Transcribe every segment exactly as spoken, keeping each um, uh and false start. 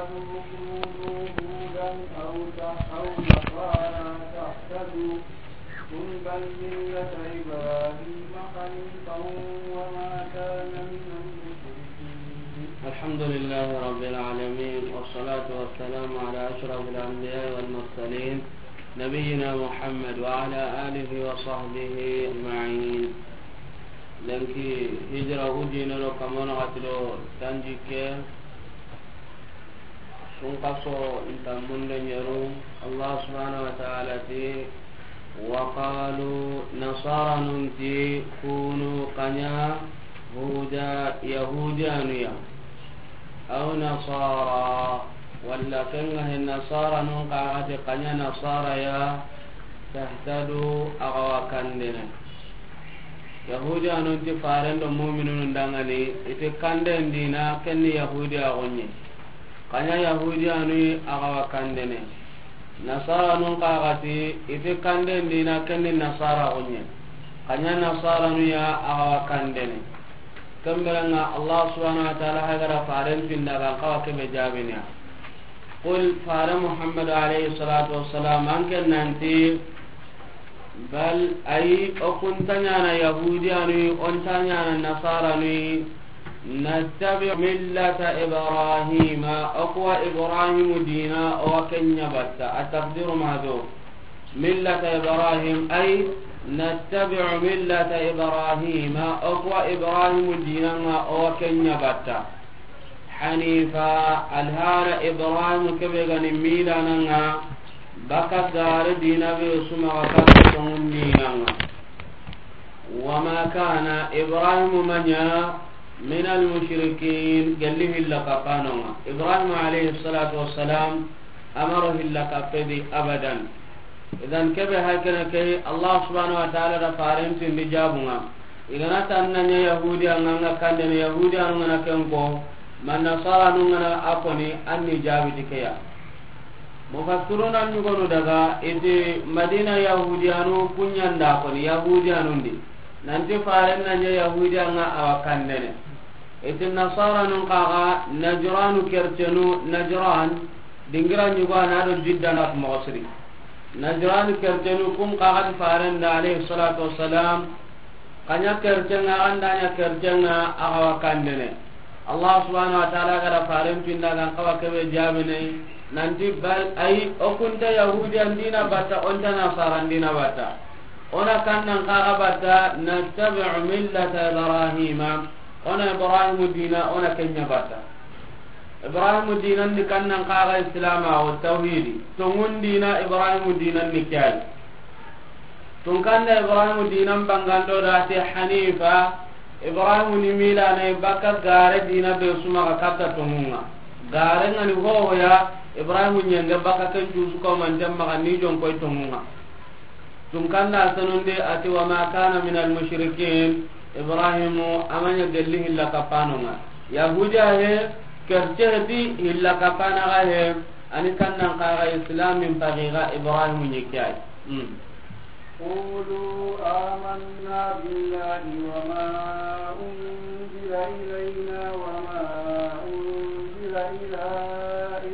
كونوا هودا أو ت-، أو نصارى تهتدوا. قل بل ملة إبراهيم حنيفا وما كان من المشركين. الحمد لله رب العالمين، والصلاة والسلام على أشرف الأنبياء والمرسلين، نبينا محمد وعلى آله وصحبه أجمعين. Lenki hijira ujine do kamana xati do tanjikke, sunkaso inta munde ñeru. Allah subhanahu wa ta'ala ti, wa qalu, nasaranun ti, kunu, kaña, huda, yahudiyanuya, aw nasara, walla kenga he nasaranun kaxati kaña nasaraya, tahtadu, axa wa kandene. Yahudiyanun ti faren do muminunun dangani, iti kanden dina, kenni yahudiyaxuñe. Kaña yahudiyanu axa wa kandene. Nasaranun kaxati, iti kanden dina, kenni nasaraxuñe. Kaña nasaranuya axa wa kandene. Kemberenga Allah subhanahu wa ta'ala hagara faren pinda gan kawa kebe jabiniya. Qul, fare Muhammad alayhi salatu wassalam, an ken nanti, bal, ay, o kunta ñana yahudiyanu, o nta ñana nasaranu, nattabi millata Ibrahima, o kuwa Ibrahimu dina, o wa kenya batta, at-taqdiru mahdhuf. Millata Ibrahim, ay, nattabi'u millata Ibrahima, o kuwa Ibrahimu dinanga, o wa kenya batta. Hanifa, alhara Ibrahim kebe gani milananga, baka gare dina be suma ga kata tongun dinanga. Wama kana Ibrahim manya min almushrikin, gelli hilla kapanonga. Ibrahim alayhi salatu wassalam, amaro hilla kapedi abadan. Idan kebe hakene ke Allah subhanahu wa ta'ala da faren tindi jabunga. Igana tanna nya yahudi anga nga kandene yahudi anu ngana kenko, man nasara nu ngana akoni anni jabi dikeya. Mufassiruna ñugonu daga iti Madina yahudiyanu kuñanda koni yahudiyanundi. Nanti faren na ña yahudiyanga awa kandene. Iti nasaranun kaga Najranu kercenu, Najran dingira ñugo ana do Jidda na moxo siri. Najran kercenu kun kaga ti faren da alayhi salatu wassalam. Kaña kercenga, anda ña kercenga, axa wa kandene. Allah subhanahu wa ta'ala ga da faren pinda gan kawa kebe jabine, nanti bal, ay, o kunta yahudiyan dina batta, o nta nasaran dina batta. O na kannan kaga batta, nattabi'u millata Ibrahima. O na Ibrahimu dina, o na kenya batta. Ibrahimu dinan di kannan kaga Islama o tawhidi. Tongun dina Ibrahimu dinan ni kiyai. Tunkanda Ibrahimu dinan bangando da te Hanifa, Ibrahimu ni milana baka gare dina be suma ga katta tongunga. Gare ngani hohoya, Ibrahimu ñenge baka ken jusu ko man jamma ga ni jon koy tongunga. Tunkanda sanunde ati, "Wa ma kana min al mushrikin." Ibrahimu amanya gelli hilla kapanonga. Yahudiya he, kerce heti hilla kapana ga he, ani kannan kaga Islamin pagiga Ibrahimu ñikiyai. Mm. قولوا آمنا بالله وما أنزل إلينا وما أنزل إلى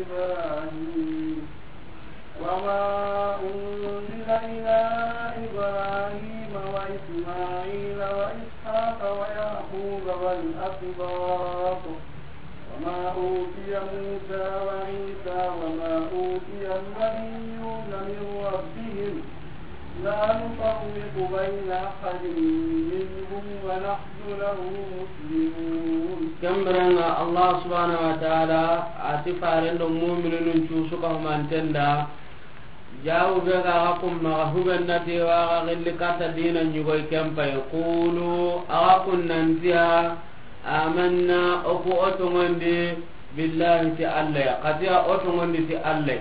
إبراهيم، وما أنزل إلى إبراهيم وإسماعيل وإسحاق ويعقوب والأسباط، وما أوتي موسى وعيسى وما أوتي النبيون من ربهم، لا نفرق بين أحد منهم ونحن له مسلمون. Kemberenga Allah subhanahu wa ta'ala ati faren do mu'minun cusu ka humantenda. Jawu be ga ga kumma ga huben nati wa ga gilli katta dina ñugoy kempay. Qulu, aga kunnantiya, amanna, oku otongondi, billahi ti Allah ya. Katiya otongondi ti Allah.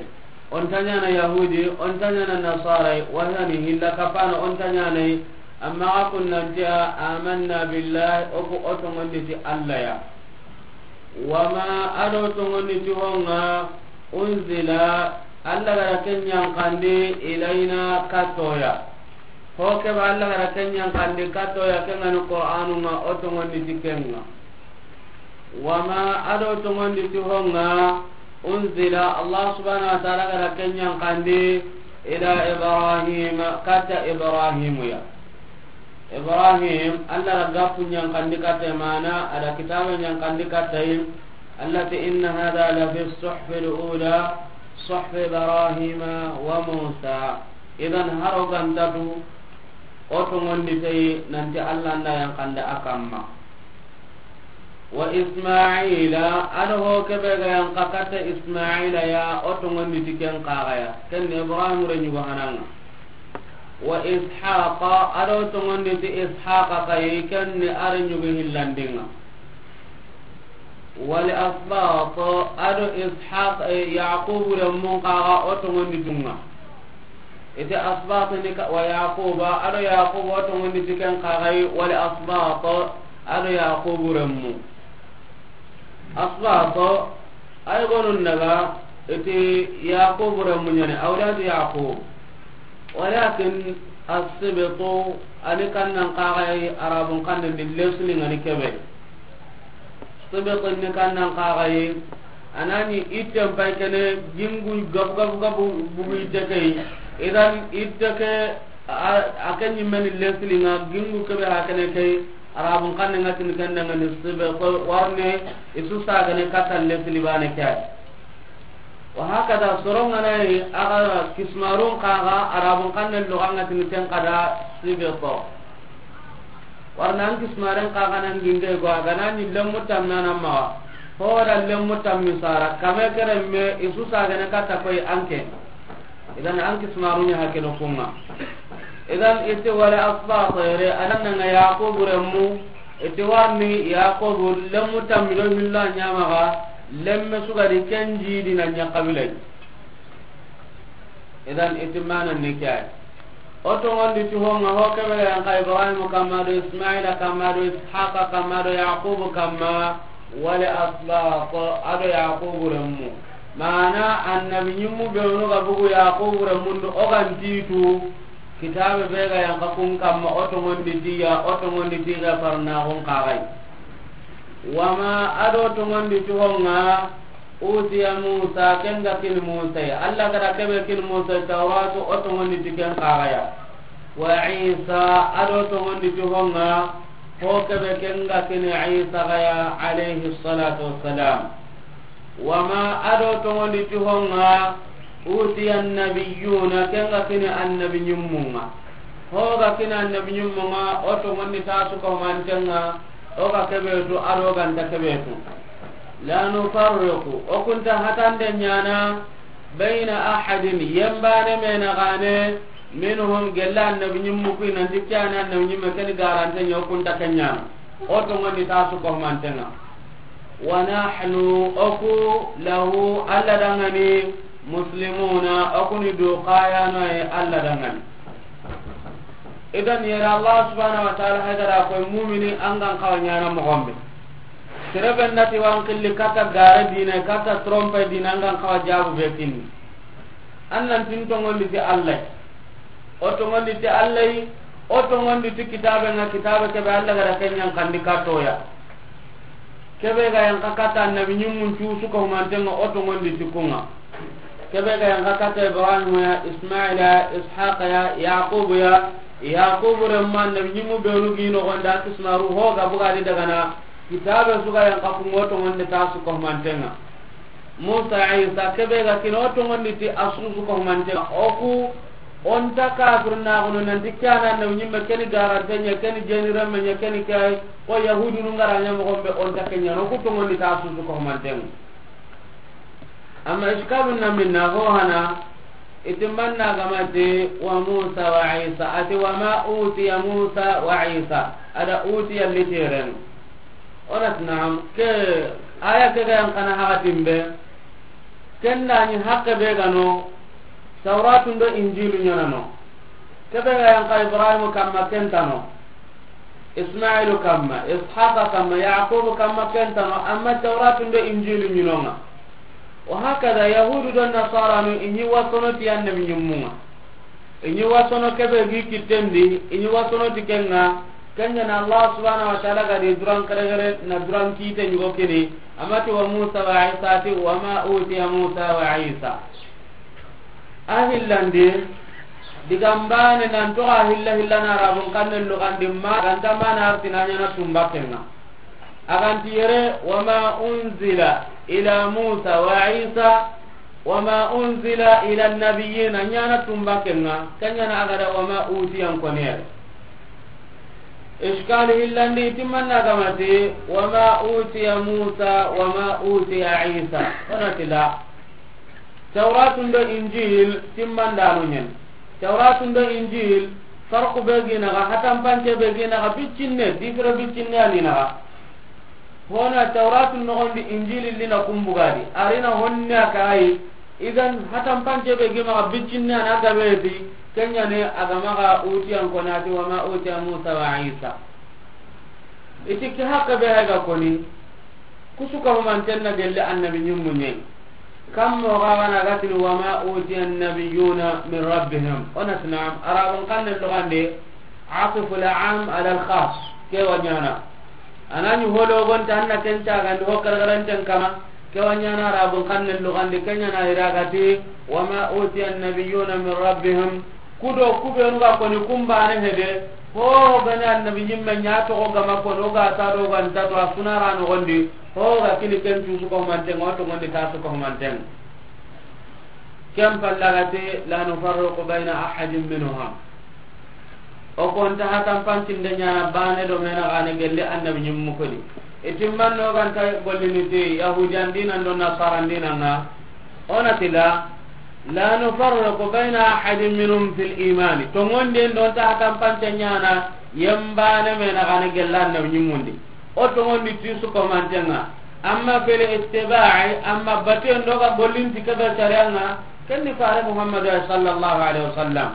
Onta ñana yahudi, onta ñana nasarai, wahani hilla kapana onta ñanai. Amma aga kunnantiya, amanna billahi, oku otongondi ti Allah ya. Wama, ado tongondi ti honga, unzila, Allah gara ken ñankandi, ilayna, kattoya. Ho keba Allah gara ken ñankandi kattoya, kengani Qur'anunga, o tongondi ti kenga. Wama, ado tongondi ti honga, أنزل, Allah subhanahu wa ta'ala ga da ken yanqandi, إلى إبراهيم, katta Ibrahimu ya. Ibrahim, Allah da ga kun yanqandi katta, mana a da kitabe yanqandi katta yi. Allah ti, إن هذا لفي الصحف الأولى صحف إبراهيم وموسى. Idan, haro gantatu, o tongondi tayi nanti Allah nda yanqandi a kamma. Wa Ismaila, a do ho kebe ga yanqa katta Ismaila ya, o tongondi ti ken kaga ya, ken ni Ibrahim re nyugo hananga. Wa Ishaqa, a do tongondi ti Ishaqa kayi, ken ni a re nyugo hillandinga. Wal asbat, a do Ishaq, eh, Yaqub re mun kaga, o tongondi tunga. Iti asbat ni ka, wa Yaquba, a do Yaquba, o tongondi ti ken kaga yi, wal asbat, a do Yaqubu remmu. Asbat, ay gonun daga, iti Yaqubu remmu ɲani, awlad Yaqub. Walakin as-sibtu, ani kannan kaga yi, Arabun kannen di lesni ngani kebe. Sibitin ni kannan kaga yi, a na ɲi itten pay kene, gingu gabu gabu gabu bugu itte ke yi. Idan itte ke, a, a ke ɲimmeni lesli nga, gingu kebe ha kene ke yi, Arabun kanne nga tini ken dangani sibit, warne i su sagane katta lesli bane ke yi. Wa hakada, soron ga na yi, a ga kismarun kaga, Arabun kannen loga nga tini ken kada sibit. Warna an kismaren kaga nan ginge go, a ga na ɲi lemmu tammi a na maxa. Ho da lemmu tammi sara, kame keremme i su sagane katta koy anke. Idan an kismarun ya hakeno kunga. Idan iti wala asbat yere, a nan nga Yaqubu remmu, iti warni Yaqubu lemmu tammi do hillo a ɲa maxa, lemme su ga di ken jidi na ɲa kabilai. Idan iti mana ni ke yi. O tongondi ti ho nga ho kebe ga yanqa Ibrahim kamma do Ismaila kamma do Ishaqa kamma do Yaqubu kamma, wala asbat, a do Yaqubu remmu. Mana annabi ɲimmu benu ga bugu Yaqubu remmun do, o ga nti tu, kitabe be ga yanqa kun kamma, o tongondi ti ya, o tongondi ti ga farna gon kagai. Wama, a do tongondi ti ho nga, utiya Musa, ken ga kini Musa ya. Allah ga da kebe kini Musa Tawratu, o tongondi ti ken kaga ya. Wa Isa, a do tongondi ti ho nga, ho kebe ken ga kini Isa ga ya, alayhi salatu wassalam. Wama, a do tongondi ti ho nga, utiya nabiyuna, ken ga kini annabi ɲimmun nga. Ho ga kini annabi ɲimmun nga, o tongondi ta su ko mantenga, o ga kebe tu, a do ga nta kebe tu. La nufarriqu, o kunta hatande ɲana, bayna ahadin, yembane mena gane, minhum, gella annabi ɲimmu kui nanti ke yani annabi ɲimme keni garante ɲa, o kunta ke ɲana. O tongondi ta su ko mantenga. Wa nahnu, o ku, lahu, Allah dangani, muslimuna, o ku ni du kayano ye Allah dangani. Idan yere Allah subhanahu wa ta'ala haydara koy mumini an gan kawa ɲana moxo be. Sere be nati wan killi kata gare dina, kata trompe dina, an gan kawa jabu be kinni. An nan tin tongondi ti Allah. O tongondi ti Allah, o tongondi ti kitabe nga, kitabe kebe Allah ga da ken yanqandi katoya. Kebe ga yanqa katta annabi ɲimmun cu su ko mantenga, o tongondi ti kunga. Kebe ga yanqa katta Ibrahim ya, Ismaila ya, Ishaqa ya, Yaqubu ya. Yaqubu remma annabi ɲimmu benu gi noxondi a kismaru ho ga buga di dagana. Kitabe su ga yanqa kunga, o tongondi ta su ko mantenga. Musa, Isa, kebe ga kini o tongondi ti a su su ko mantenga. O ku, o nta kafirnaxunu nanti ke yani annabi ɲimme keni garante ɲa, keni jeni remme ɲa, keni ke yi, ko yahudunu nga ra ɲa moxo be, o nta ke ɲana, o ku tongondi ta su su ko mantenga. Amma iskalu na minna ho hana, iti manna ga ma ti wa Musa wa Isa, ati wa ma utiya Musa wa Isa, a da utiya literen. O na ti naam, ke aya ke ga yanqana hakatin be, ken da ɲi hakke be ga no, Tawratun do Injilu ɲana no. Kebe ga yanqa Ibrahim kamma ken ta no. Ismailu kamma, Ishaqa kamma, Yaqubu kamma ken ta no, amma Tawratun do Injilu ɲi no nga. Wa hakada, Yahudu do Nasaranu, i ɲi wasono ti annabi ɲimmun nga. I ɲi wasono kebe gi kitten di, i ɲi wasono ti ken nga, Ken ɲa na Allah subhanahu wa ta'ala ga di duran kere kere na duran kite ɲugo kini. A ma ti wa Musa wa Isa, a ti wa ma utiya Musa wa Isa. A hillandi, digan baane nan toxo a hilla hilla na Arabun xannen luxandi ma, a ga nta ma na arti na ɲaana tumbaken ŋa. A ga nti yere, wa ma unzila ila Musa wa Isa, wa ma unzila ila nabiyina, ɲaana tumbaken ŋa, ken ɲa na a ga da wa ma utiya n koni yere. Iskali hillandi, timmanna ga ma ti, wa ma utiya Musa, wa ma utiya Isa. O na ti la. Tawratu ndo Injil timmandanu ɲen. Tawratu ndo Injil, farqu be gi naxa, hatampance be gi naxa, biccinne, difira biccinne a ni naxa. Hona Tawratu noxondi, Injili li na kumbugadi. A ri na honne a kayi. Idan, hatampance be gi maxa, biccinne a na gabe ti, ken ɲa ne a ga maxa utiyan ko na ti, wa ma utiya Musa wa Isa. I ti ke haqqe be hay ga koni, ku su ka humanten na gelle annabi ɲimmu ɲe. Kam mo ga ga na ga tini, wa ma utiya nabiyuna min rabbihim. O na ti naam, Arabun xannen luxande, atifu al-am ala al-khas. Ke wa ɲaana. A na ɲi hologonta, an na ken cagandi ho karagaranten kama. Ke wa ɲaana Arabun xannen luxande, ke ɲa na i ra ga ti, wa ma utiya nabiyuna min rabbihim. Ku do ku benu ga koni kumbane hede, ho ga ni annabi ɲimme ɲa toxo ga ma koni, o ga ta do, o ga nta do, a su na ra noxondi, ho ga kini ken tu su ko humanten ŋa, o toxondi ta su ko humanten ŋa. Ken palla ga ti, la nufarriqu bayna ahadin minhum. O ko nta hatampancinde ɲaana baane do me na xane gelle annabi ɲimmu koni. I timmanno ga nta gollini ti Yahudiyan dinan do Nasaran dinan ŋa. O na ti la, la nufarriqu bayna ahadin minhum fil imani. Toŋonden do nta hatampance ɲaana yembaane me na xane gelle annabi ɲimmundi. O toŋondi ti su ko humanten ŋa. Amma fil ittiba'i, amma baten do ga gollinti ke be sariyan ŋa, ken ni fare Muhammadu sallallahu alaihi wasallam.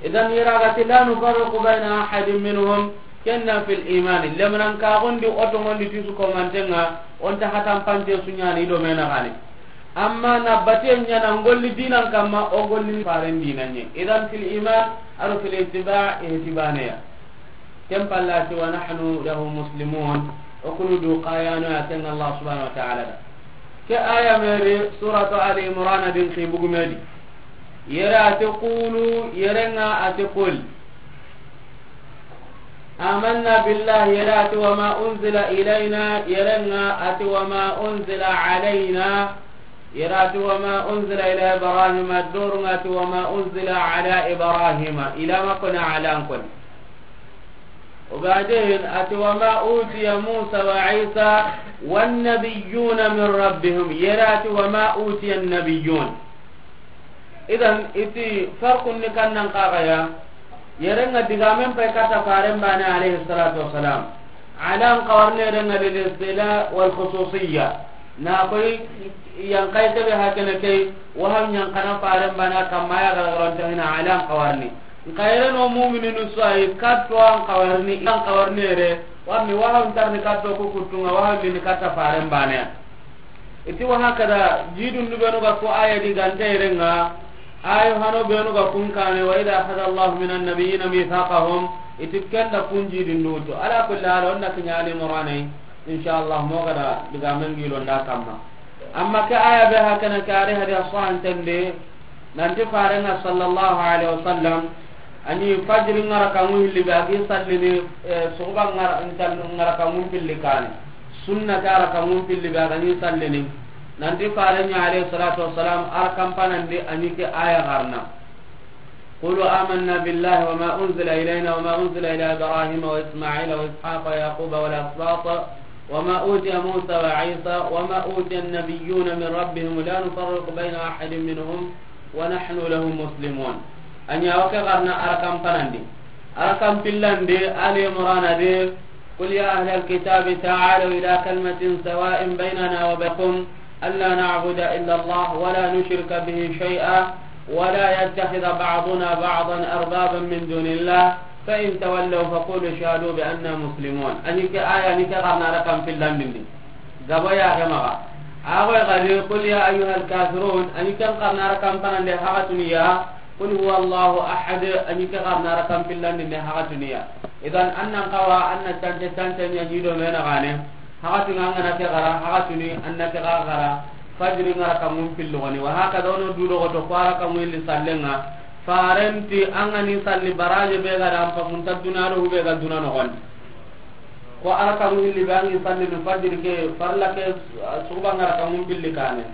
Idan i ra ga ti la nufarriqu bayna ahadin minhum, ken na fil imani. Lemnan ka gondi o toŋondi ti su ko humanten ŋa, o nta hatampance su ɲaana i do me na xane. Amma na baten ɲaana ngolli dinan kamma, o golli faren dinan ɲe. Idan fil iman, aro fil ittiba', i heti baane ya. Ken palla ti, wa nahnu lahu muslimun. O kunu du kayano ya ken Allah subhanahu wa ta'ala da. Ke aya meri suratu Ali Imran din ki bugumedi. Yere a ti qulu, yere ŋa a ti qul. Amanna billahi, yere a ti wa ma unzila ilayna, yere ŋa a ti wa ma unzila alayna, yere a ti wa ma unzila ila Ibrahima, doro ŋa a ti wa ma unzila ala Ibrahima, ila ma kona ala n koni. O baden a ti wa ma utiya Musa wa Isa wan nabiyuna min rabbihim, yere a ti wa ma utiya nabiyun. Idan, i ti farqun ni kannan kaga ya. Yere ŋa digamen pay kata faren baane alayhi salatu wassalam. Ala n kawarne yere ŋa lil istila wal khususiyya. Na koy yan kay tebe hakene kay, waham yan kana faren baane kamma ya garagaron tahina ala n kawarni. N kayre no mu'mininu suwayi katto an kawarni, an kawarni yere, warni waham tarni katto ku kuttunga, waham ni kata faren baane. I ti wa hakada, jidun du benu ga ko aya di ganta yere ŋa, ayo hano benu ga kun kane, wa idha akhadha Allahu minan nabiyyina mithaqahum, i ti kenda kun jidun du to. Ala kulli hal, onna kiɲa Ali Imran ay, insha Allah, mo gada digamen gilo nda kamma. Amma ke aya be hakana ke ari hadi aswan tende, Nanti farenga sallallahu alaihi wasallam, ani fajiri ngara kangu hilli be agi sallini, eh, suguba ngara, ntal-, ngara kangu pilli kane. Sunna ke ara kangu pilli be agani sallini. Nanti farenya alaihi salatu wassalam, ara kampanandi ani ke aya garna. قولوا آمنا بالله وما أنزل إلينا وما أنزل إلى إبراهيم وإسماعيل وإسحاق ويعقوب والأسباط وما أوتي موسى وعيسى وما أوتي النبيون من ربهم لا نفرق بين أحد منهم ونحن له مسلمون. Anya wake garna arakan panandi. Arakan pillandi Ali Imran adi. قل يا أهل الكتاب تعالوا إلى كلمة سواء بيننا وبينكم ألا نعبد إلا الله ولا نشرك به شيئا ولا يتخذ بعضنا بعضا أربابا من دون الله فإن تولوا فقولوا اشهدوا بأننا مسلمون. Ani ke aya ni ke garna arakan pillandindi. Gabo ya ke maga. Ago gadi, قل يا أيها الكافرون, ani ken garna arakan panande hagatuniya, قل هو الله أحد, ani ke garna arakan pillandinde hagatuniya. Idan, an nan xawa, an na cance, cance ɲa ɲi do me na gane. Haxatunu an ga na ke xara, haxatunu an na ke xa xara. Fajiri ŋa raka ŋun pilli xoni. Wa haka da, o no du do xoto ko a raka ŋun pilli sallen ŋa. Farenti an ga ni salli baraje be ga da an pasunta duna do hube ga duna noxondi. Ko a raka ŋun pilli be an gi salli no fajiri ke, farla ke, suxuba ŋa raka ŋun pilli kane.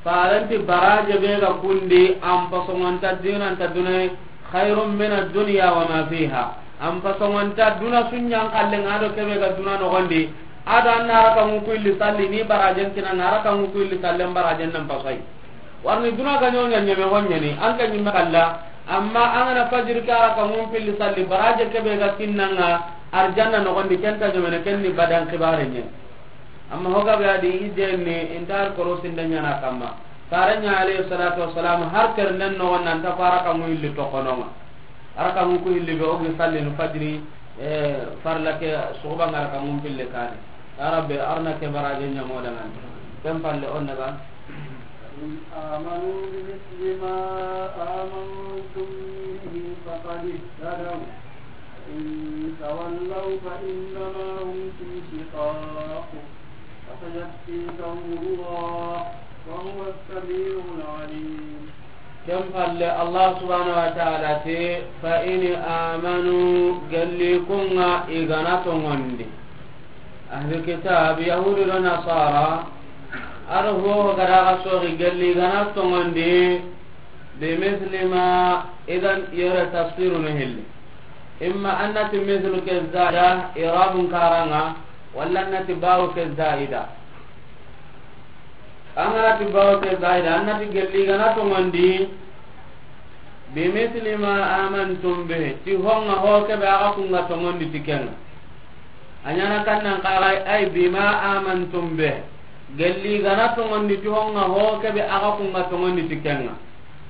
Farenti baraje be ga kundi, an pasongonta dinanta duna, khairun min ad-dunya wa ma fiha. An pasongonta duna su ɲa n xalle ŋa do kebe ga duna noxondi. A do an na raka ŋun pilli salli ni barajen kina ŋa, raka ŋun pilli sallen barajen nan pasai. Warni duna ga ɲoɲa ɲeme ho ɲeni, an ke ɲimme xalla. Amma an ga na fajiri ke a raka ŋun pilli salli baraje kebe ga kinna ŋa arjanna noxondi, ken ta ɲemene, ken ni badan xibare ɲe. Amma hoga be a di i denni, inta har korosi nda ɲana kamma. Fare ɲa alayhi salatu wassalam, har ternden noxon nan ta ko a raka ŋun pilli toxono ŋa. A raka ŋun pilli be o gi salli no fajiri, eh, farla ke, suxuba ŋa raka ŋun pilli kane. Ya Rabbi, arna ke baraje ɲa mo dangan. Ken palle on daga. فإن آمنوا بمثل ما آمنتم به فقد اهتدوا، وإن تولوا فإنما هم في شقاق، فسيكفيكهم الله، وهو السميع العليم. Ken palle, Allah subhanahu wa ta'ala ti, فإن آمنوا, gelli kun ŋa i ga na tongondi. Ahli kitab, Yahudi do Nasara, a do ho ga da ga soxi gelli i ga na tongondi, bi misli ma, idan yere tafsiru no hilli. Imma an na ti mislu ke zaida, i'rabun kara ŋa, walla an na ti bawu ke zaida. An ga na ti bawu ke zaida, an na ti gelli i ga na tongondi, bi misli ma amantum bihi, ti ho ŋa ho kebe a ga kun ŋa tongondi ti ken ŋa. A ɲa na kan nan xaxay, ay bima amantum bihi. Gelli i ga na tongondi ti ho ŋa ho kebe a ga kun ŋa tongondi ti ken ŋa.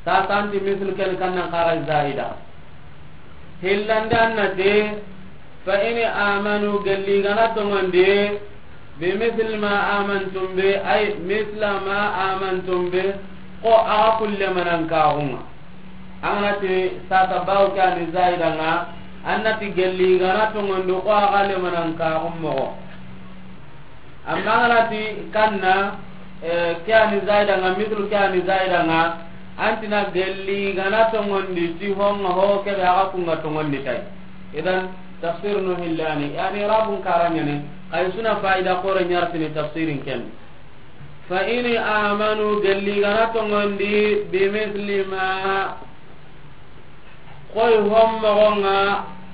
Sasa an ti mislu ken kan nan xaxay zaida. Hillandi an na ti, fa in amanu, gelli i ga na tongondi, bi misli ma amantum bi, ay misla ma amantum bi, ko a ga kun lemanan kaxun ŋa. An ga na ti sasa bawu ke a ni zaida ŋa, an na ti gelli i ga na tongondi ko a ga lemanan kaxun moxo. Amma an ga na ti kanna, eh, ke a ni zaida ŋa, mislu ke a ni zaida ŋa, an ti na gelli i ga na tongondi ti ho ŋa ho kebe a ga kun ŋa tongondi tay. Idan tafsir no hillani, yani rabun kara ɲani, kay suna faida kore ɲartini tafsirin ken. Fa in amanu, gelli i ga na tongondi, bi misli ma, koy ho moxo ŋa,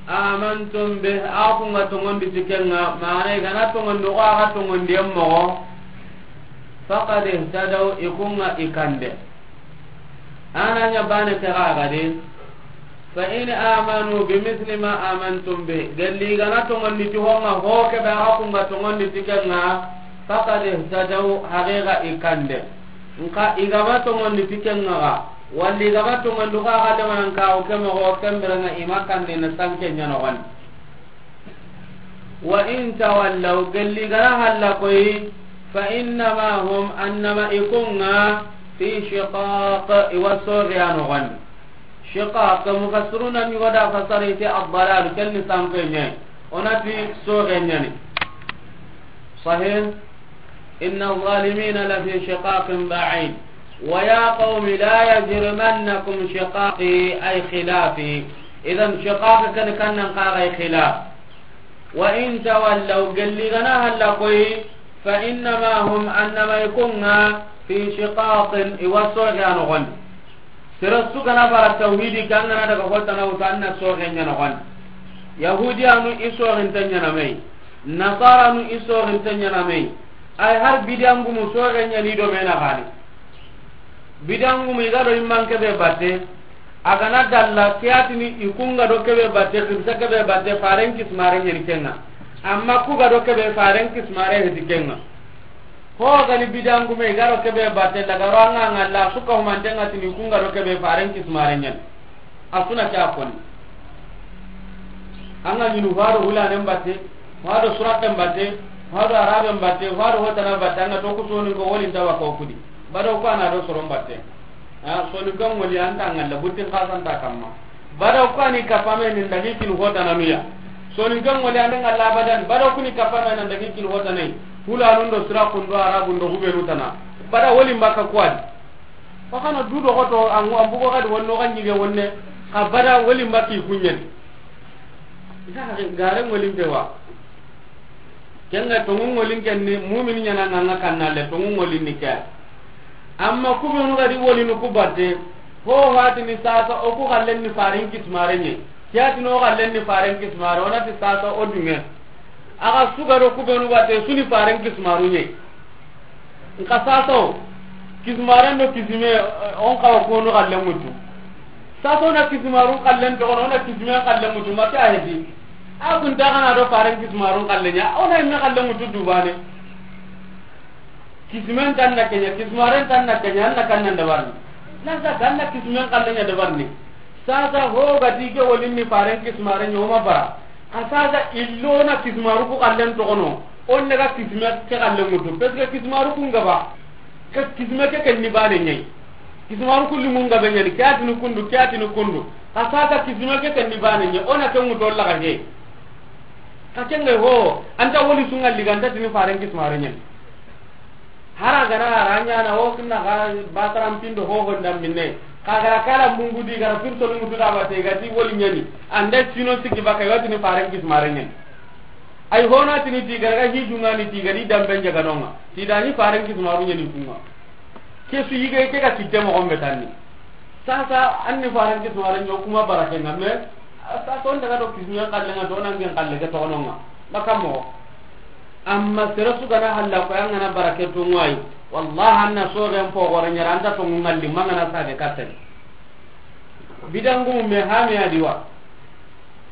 amantum bi, a kun ŋa tongondi ti ken ŋa, mana i ga na tongondi ko a ga tongondi en moxo, faqad ihtadaw, i kun ŋa i kande. A na ɲa bane ke ga ga di. Fa in amanu bi misli ma amantum bi, gelli i ga na tongondi ti ho ŋa ho kebe a ga kun ŋa tongondi ti ken ŋa, faqad ihtadaw, haqiqa i kande. Nka i ga ma tongondi ti ken ŋa ga, walli i ga ma tongondi ko a ga lemanan kaxu ke moxo, ken bire ŋa i ma kande na sanke ɲa noxondi. Wa in tawallaw, gelli i ga na halla koy, fa innama hum, annama i kun ŋa, fi shiqaq, i wa soxe ya noxondi. Shiqaq, mufassiruna ɲi ga da fasari ti ad-dalal, ken ni sanke ɲa. O na ti soxe ɲani. Sahih. Inna adh-dhalimina lafi shiqaqin ba'id. Wa ya qawmi la yajrimannakum shiqaqi, ay khilafi. Idan shiqaq kan, kan nan xaxay khilaf. Wa in tawallaw, gelli i ga na halla koy, fa innama hum, annama i kun ŋa, fi shiqaqin, i wa soxe ya noxondi. Sere su ga na bara tawhidi ke, an ga na daga hotana wutu, an na soxe ɲa noxondi. Yahudiyanu i soxinte ɲana me yi. Nasaranu i soxinte ɲana me yi. Ay har bidiyangumu soxe ɲani do me na gani. Bidiyangumu i ga do i man kebe batte. A ga na dalla ke a tini i kun ga do kebe batte, xibisa kebe batte, faren kismare ɲani ken ŋa. Amma ku ga do kebe, faren kismare heti ken ŋa. Ho gani bidangume i ga ro kebe batte, daga ro an ga ŋalla, su ka humanten ŋa tini kun ga ro kebe faren kismare ɲani. A su na ke a koni. An ga ɲinu fado hulanen batte, fado suraken batte, fado araben batte, fado hotana batte, an ga to ku soninko woli nta wa ko kudi. Bado ko a na do soron batte. A, soninko ŋoli an ta ŋalla, buttin xasa nta kamma. Bado ko a ni kapame ni ndagi kin hotananu ya. Soninke ŋoli ande ŋalla abadan, bada kuni kapana nan dagi kin hota nay. Hulanun do sira kundo arabun do hubenu tana. Bada woli mbaka kuwadi. Fakana du do hoto angu ambugo gadi wonno ga nyige wonne. Ka bada woli mbaki kunyen. Isa gare ŋolin ke wa. Kenga tongu ŋolin ken ni mu'min nyana nganga kanna le tongu ŋolin ni ke. Amma kubenu gadi woli nu kubate. Ho hatini sasa o ku gallen ni farin kismare nye. Kiyatini o gallen ni faren kismaru, o nati sasa o dunge. Aga sugaro kubenu bate suni faren kismaru nye. Nka sasa o kismaren do kisime, eh, on kawa kono gallen mutu. Sasa o na kismaru kallen to, o na kisime kallen mutu, mata hedi. A kun ta kana do faren kismaru kallen ya, o na inna kallen mutu dubane. Kisimen tan na kenya, kismaren tan na kenya, an na kan nan dabarni. Nan sa kan na kisimen kallen ya dabarni. Sasa ho gati ke wolin ni faren kismaren yo ma bara. A sasa illo na kismaru ku kallen to kono. On daga kisme ke kallen mutu. Parce que kismaru ku ngaba. Ke kisme ke ken ni bane nyai. Kismaru ku limu ngabe nyani. Kiyatini kundu, kiyatini kundu. A sasa kisme ke ken ni bane nyai. Ona ke mutu laga he. Ka kenga ho, anta woli sunga liganta tini faren kismaren nyani. Hara gara aranya na o kinna ga bataram pindo ho honda minne. Ka gara kala mungu di gara pirto ni mutu da bate ga ti woli nyani. Ande sino sigi baka yoti ni faren kismaren nyani. Ay hona tini ti gara ga hidunga ni ti ga di dambe njaga nonga. Ti da ni faren kismaru nyani kunga. Ke su yige ke ga kitte mo gombe tanni. Sasa anni faren kismaren nyo kuma barake nga me. Sasa on daga do kisme kallen nga do nan gen kalle ke to nonga. Baka mo. Amma sere su gana halla ko yanga na barake to ngwai. Wallahi anna so gen po gore nyara anta to ngalli mangana sage katten. Bidangu me hami adiwa.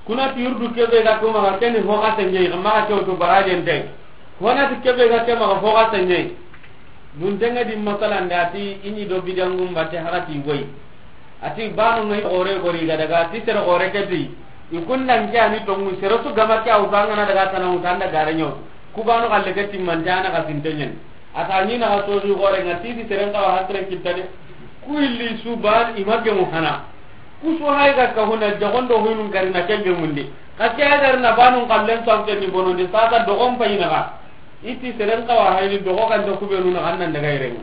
Kuna ti yurdu kebe ga kuma ga keni ho ga tenye ga ma ga to barajen dai. Hona ti kebe ga kema ga ho ga tenye. Dun tenga di masalan da ti ini do bidangu mbate hara ti wai. Ati banu ngai gore gori ga daga ti sere gore ke ti. Ikundan ke ani to ngu sere su gama ke awta ngana daga tana utanda gare nyo. Ku banu galle ke ti mantana ga sintenyen. Ata ni na ga to ni gore nga ti ti sere nga wa hasre kitane. Ku illi su ban image mu hana. Ku su hay ga ka huna jagondo hunun gari na kenge mundi. Ka ke agar na banu kallen sawte ni bonondi sasa dogon payina ga. Iti seren kawa hayni dogo kan to kubenu na kan nan daga irenga.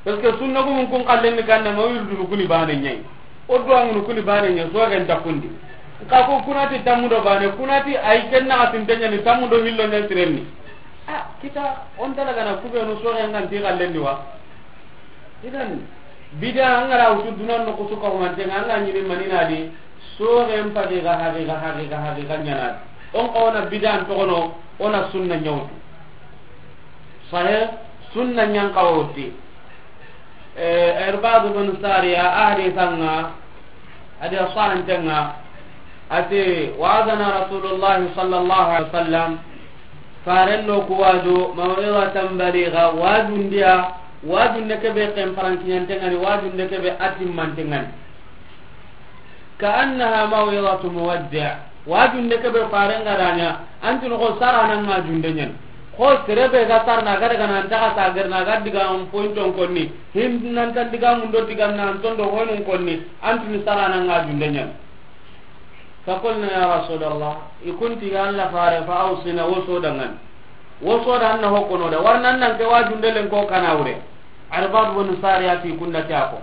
Parce que sunna gumun kun kallen ni kan na ma wirdu kuni bane nyai. O do angunu kuni bane nyai so ga nta kundi. Ka ko kunati tamudo bane kunati ay kenna atin tanya ni tamudo hillo ne sirenni. Ah, kita on dala gana kubenu so ga ngan ti kallen ni wa. Idan bida angara wutu dunan no kusuka humantenga anga nyini manina di. Soren pagi ga hagi ga hagi ga hagi ga nyana. On ka ona bidan to kono ona sunna nyawtu. Sahe sunna nyan kawti. Eh, Irbad bin Sariya ahadi tanga. Adi asahan tenga. Ati wa'adana Rasulullah sallallahu alaihi wasallam. Faren no ku waju maw'izatan baligha wajundiya. Wajunde kebe ken parankinyantengani wajunde kebe atimmantengani. Ka annaha maw'izatu muwaddi'. Wajunde kebe faren gadanya. Antin ko sarana ngajunde nyen. Ko serebe ga sarna ga daga nan ta ga sagar na ga diga on pointon konni. Hin nan tan diga mun do diga nan ton do honun konni. Antin sarana ngajunde nyen. Fakulna ya Rasulallah, i kunti ya Allah fare fa awsina woso dangan. Woso da anna hokono da warna nan ke wajunde len ko kana wure. Irbad bin Sariya ti kunda ti ako.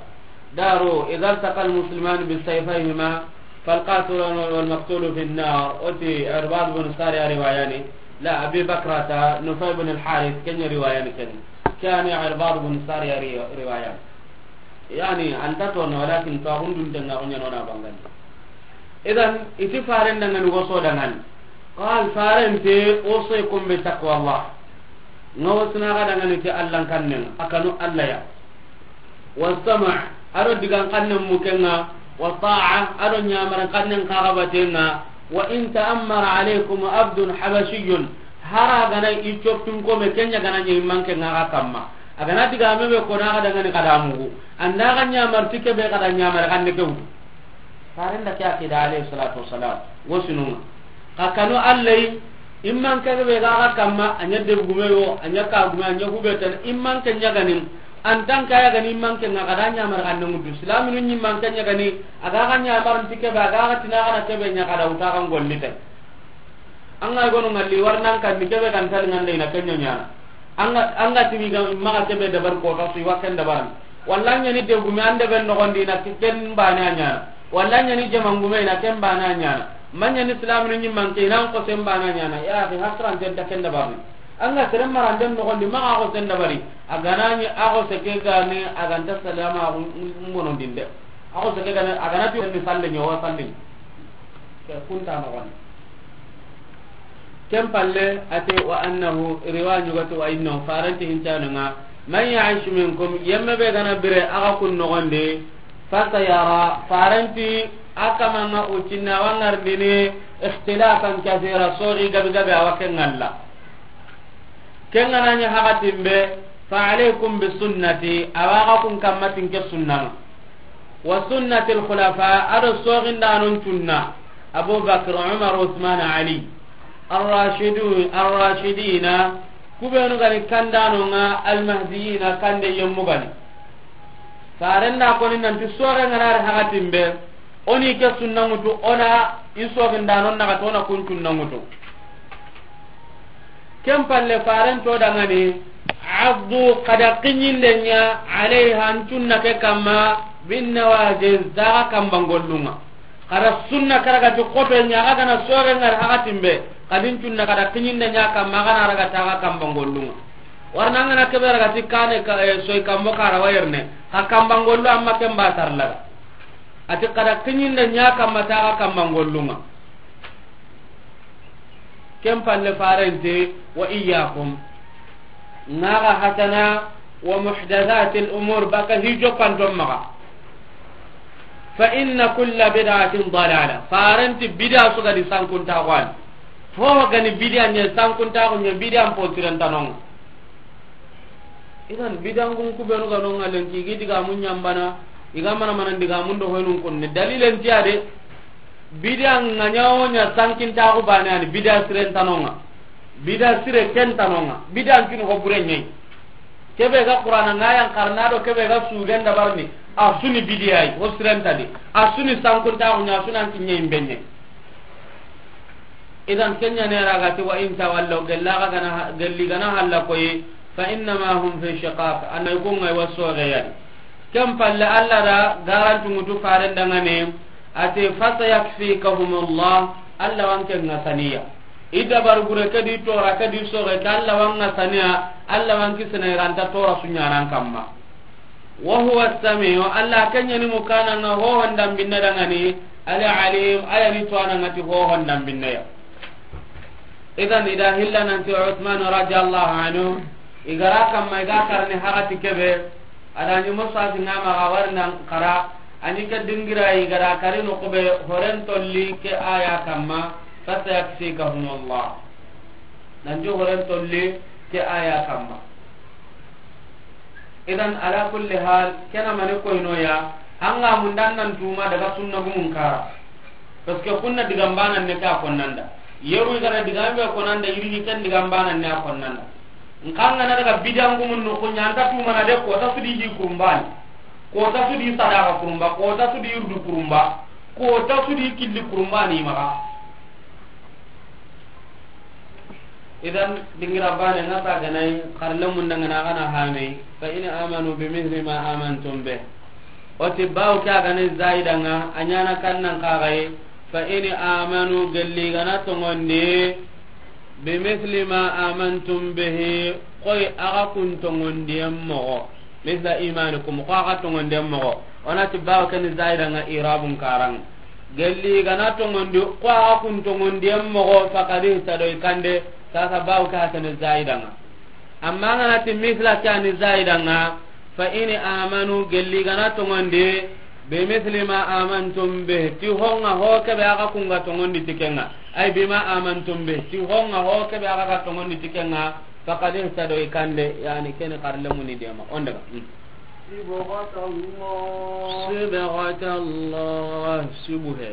Daro idza taqal musliman bi sayfayhima fal qatil wal maqtul fi an-nar. Oti Irbad bin Sariya riwayani. La Abi Bakrata Nufay bin al-Harith kenya riwayani ken. Kani Irbad bin Sariya riwayani. Yani anta to no walakin to hundun denga ko nyano na bangandi. Idan iti faren dangani woso dangani. Qal faren te woso e kombe taqwa Allah. Nga wosna ga dangani te Allah kannen akanu Allah ya. Wastama' aro digan kannen mukenga. Wa ta'a aro nyamar kannen kagabatenga. Wa in ta'ammara alaykum abdun habashiyyun. Hara gana i coppin kome kenya gana nyi manke nga ga kamma. Agana diga mebe kona ga dangani kada mugu. Anda ga nyamar tike be kada nyamar kan ne kewdu. Farenda ke akida alayhi salatu wassalam. Wosinunga. Ka kanu allai imman ke be ga ga kamma anya de gume yo anya ka gume anya hubeta imman ke nyaganin. Antan kaya gani imman ke nga kada nyamar kan ne mudu islaminu nyi man ke nyagani. Aga ga nyamar tike be aga ga tina kana kebe nya kada uta kan gollite. An ga gono ŋalli, wari nan kan ni kebe kan tali ŋande, i na ken ɲa ɲaana. An ga, an ga tini ga maxa kebe dabari kota su, i wa ken dabarani. Walla ɲa ni degume an debe noxondi, i na ken baane a ɲaana. Walla ɲa ni jamangume, i na ken baane a ɲaana. Ma ɲa ni silaminu ɲimmanke, i na an xosen baane a ɲaana. Ya axi, hasiranten ta ken dabarani. An ga sere maranden noxondi, maxa a xosen dabari. A ga na ɲi a xose ke ga ni, a ga nta salama bonondinde. A xose ke ga ni, a ga na ti ni salle ɲa, wa salle ɲa. Ke kunta noxondi. Ken palle, a ti, wa annahu, riwaya ɲugati, wa innahu, farenti hincanunga, man yaish minkum, yemme be ga na bire a ga kun noxondi, fasayara, farenti a kamanga ucinna wa ŋarindini, ikhtilafan kathira, soxi gabi gabi a wa ke ŋalla. Ken ga na ɲi haxatin be, fa alaykum bi sunnati, a wa ga kun kamma ti n ke sunnanga. Wa sunnati al khulafa, a do soxindanon sunna, Abu Bakr, Umar, Usman, Ali, ar-rashidu-, ar-rashidina, kubenu ga ni kandanonga, al mahdiyina, kande yemmu ga ni. Farenda koni nanti soxe ŋa na ri haxatin be, o ni ke sunna ŋutu, o na i soxindanon naxati, o na kun sunna ŋutu. Ken palle, faren to dangani, addu, xa da kiɲinde ɲa, alayha, n sunna ke kamma, bin nawajiz, daga kambangollunga. Xa da sunna karagati xoto ɲa, a ga na soxe ŋa ri haxatin be, xa di n sunna xa da kiɲinde ɲa kamma, a ga na raga taga kambangollunga. Warna an ga na kebe ragati kane ka, eh, soy kambo kara wayerne, xa kambangollu amma ken ba tarlaga. A ti xa da kiɲinde ɲa kamma taga kambangollunga. Ken palle farente, wa iyyakum, ŋaga hatana, wa muhdathatil umur, baka hijo panton maga. Fa inna kulla bid'atin dalala. Farenti bid'a su ga di sankunta xwani. Fo ga ni bid'a ɲa sankunta xo ɲa bid'a mpo tirantanonga. Idan bidangun kubenu ga nonga lenki, i gi digamun ɲambana, i ga mana mana digamun do hoynun kunni. Dalilen tiya de, bidan ŋa ɲa wo ɲa sankintaxu bane ani, bida siren tanonga, bida sire ken tanonga, bidan kini ho bure ɲayi. Kebe ga Qur'ana ŋa yan karna do kebe ga suden dabarni, a suni bidiyayi, ho siren tadi, a suni sankintaxu ɲa, a sunan kiɲe imbe ɲayi. Idan kenya ne ra ga ti, wa in tawallaw, gella ga gana, gelli gana halla koyi, fa innama hum fi shiqaq, anay ko ngai waso ga yadi. Ken palle Allah da garantu mutu faren dangane, ate, fa sayakfikahumullah, Allah wanke ngasaniya. Ida bar gure kadi tora kadi soge ka Allah wan ngasaniya, Allah wanki sene ranta tora sunyaran kamma. Wa huwa as-sami'u, Allah kenya ni mukana nga hohon dambinne dangani, al-alim, aya ni tuwana ngati hohon dambinne ya. Idan ida hilla nanti Uthman radiyallahu anhu, igara kamma iga karni hagati kebe, adani musasi ngama ga warnan kara, ani ke dingira igara kari no kube horen tolli ke aya kamma, fasayakfikahumullah. Nanti horen tolli ke aya kamma. Idan, ala kulli hal, kena mani koyno ya, anga mundan nan tuma daga sunna gumun kara. Parce que kunna digambanan ne ka konnanda. Yeru igara digambe konnanda, yiri ken digambanan ne a konnanda. Nkanga na daga bidan gumun no kunya anta tuma na de ko ta sudi di kurumbani. Ko ta sudi sadaka kurumba, ko ta sudi yurdu kurumba, ko ta sudi killi kurumbani maga. Idan, dingira bane nga ta ganai, xarle mun dangana gana hame, fa in amanu bi mithli ma amantum bih. O ti bawo ke a ganai zaida nga, a ɲana kannan kagai, fa in amanu gelli gana tongondi, bi mithli ma amantum bihi, koy aga kun tongondiyen mogo. Misla imanikum, ko aga tongonden mogo. Onati bawo keni zaida nga irabun karang. Gelli gana tongondi, ko aga kun tongonden mogo, fakadi tado ikande, sasa bawo ka keni zaida nga. Amma ngana ti misla kani zaida nga, fa in amanu, gelli gana tongondi, bi mithli ma amantum bih, ti honga ho kebe aga kunga tongondi tikenga. Ay bima amantum bih, ti honga ho kebe aga tongondi tikenga. Fakadi tado ikande, yani keni karle muni dema. On daga. Hmm. صبغة الله. صبغة الله. Sibuhe.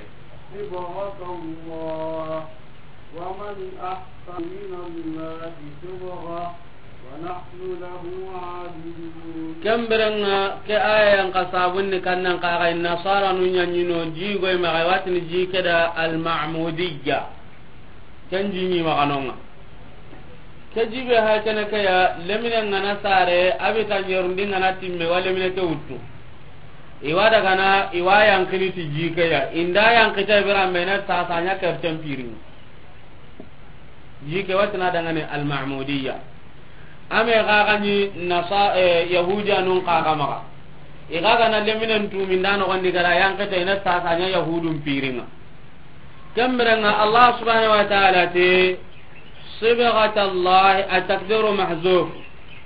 صبغة الله. ومن أحسن من الله صبغة. ونحن له عابدون. Kemberenga ke aya yang kasabunni kannan kaga nasara nu nyanyino jigo imaga watini jikeda al-ma'mudiyya. Ken ji ɲi maxa no ŋa. Ke ji be ha kene ke ya, lemine ŋa na sare, a bi ta ɲerundi ŋa na timme, wa lemine ke wuttu. I wa daga na, i wa yanqini ti ji ke ya. I nda yanqita i bira me na sasa ɲa kerten piri. Ji ke wa ti na daga ni Al-Mahmudiyya. A me xa ga ni nasa, eh, Yahudiyanun xa ga maxa. I ga ga na leminen tumi nda noxon di ga ra yanqita i na sasa ɲa Yahudun piri ŋa. Ken bire ŋa Allah subhanahu wa ta'ala ti, sibghat Allah, at-taqdiru mahzuf.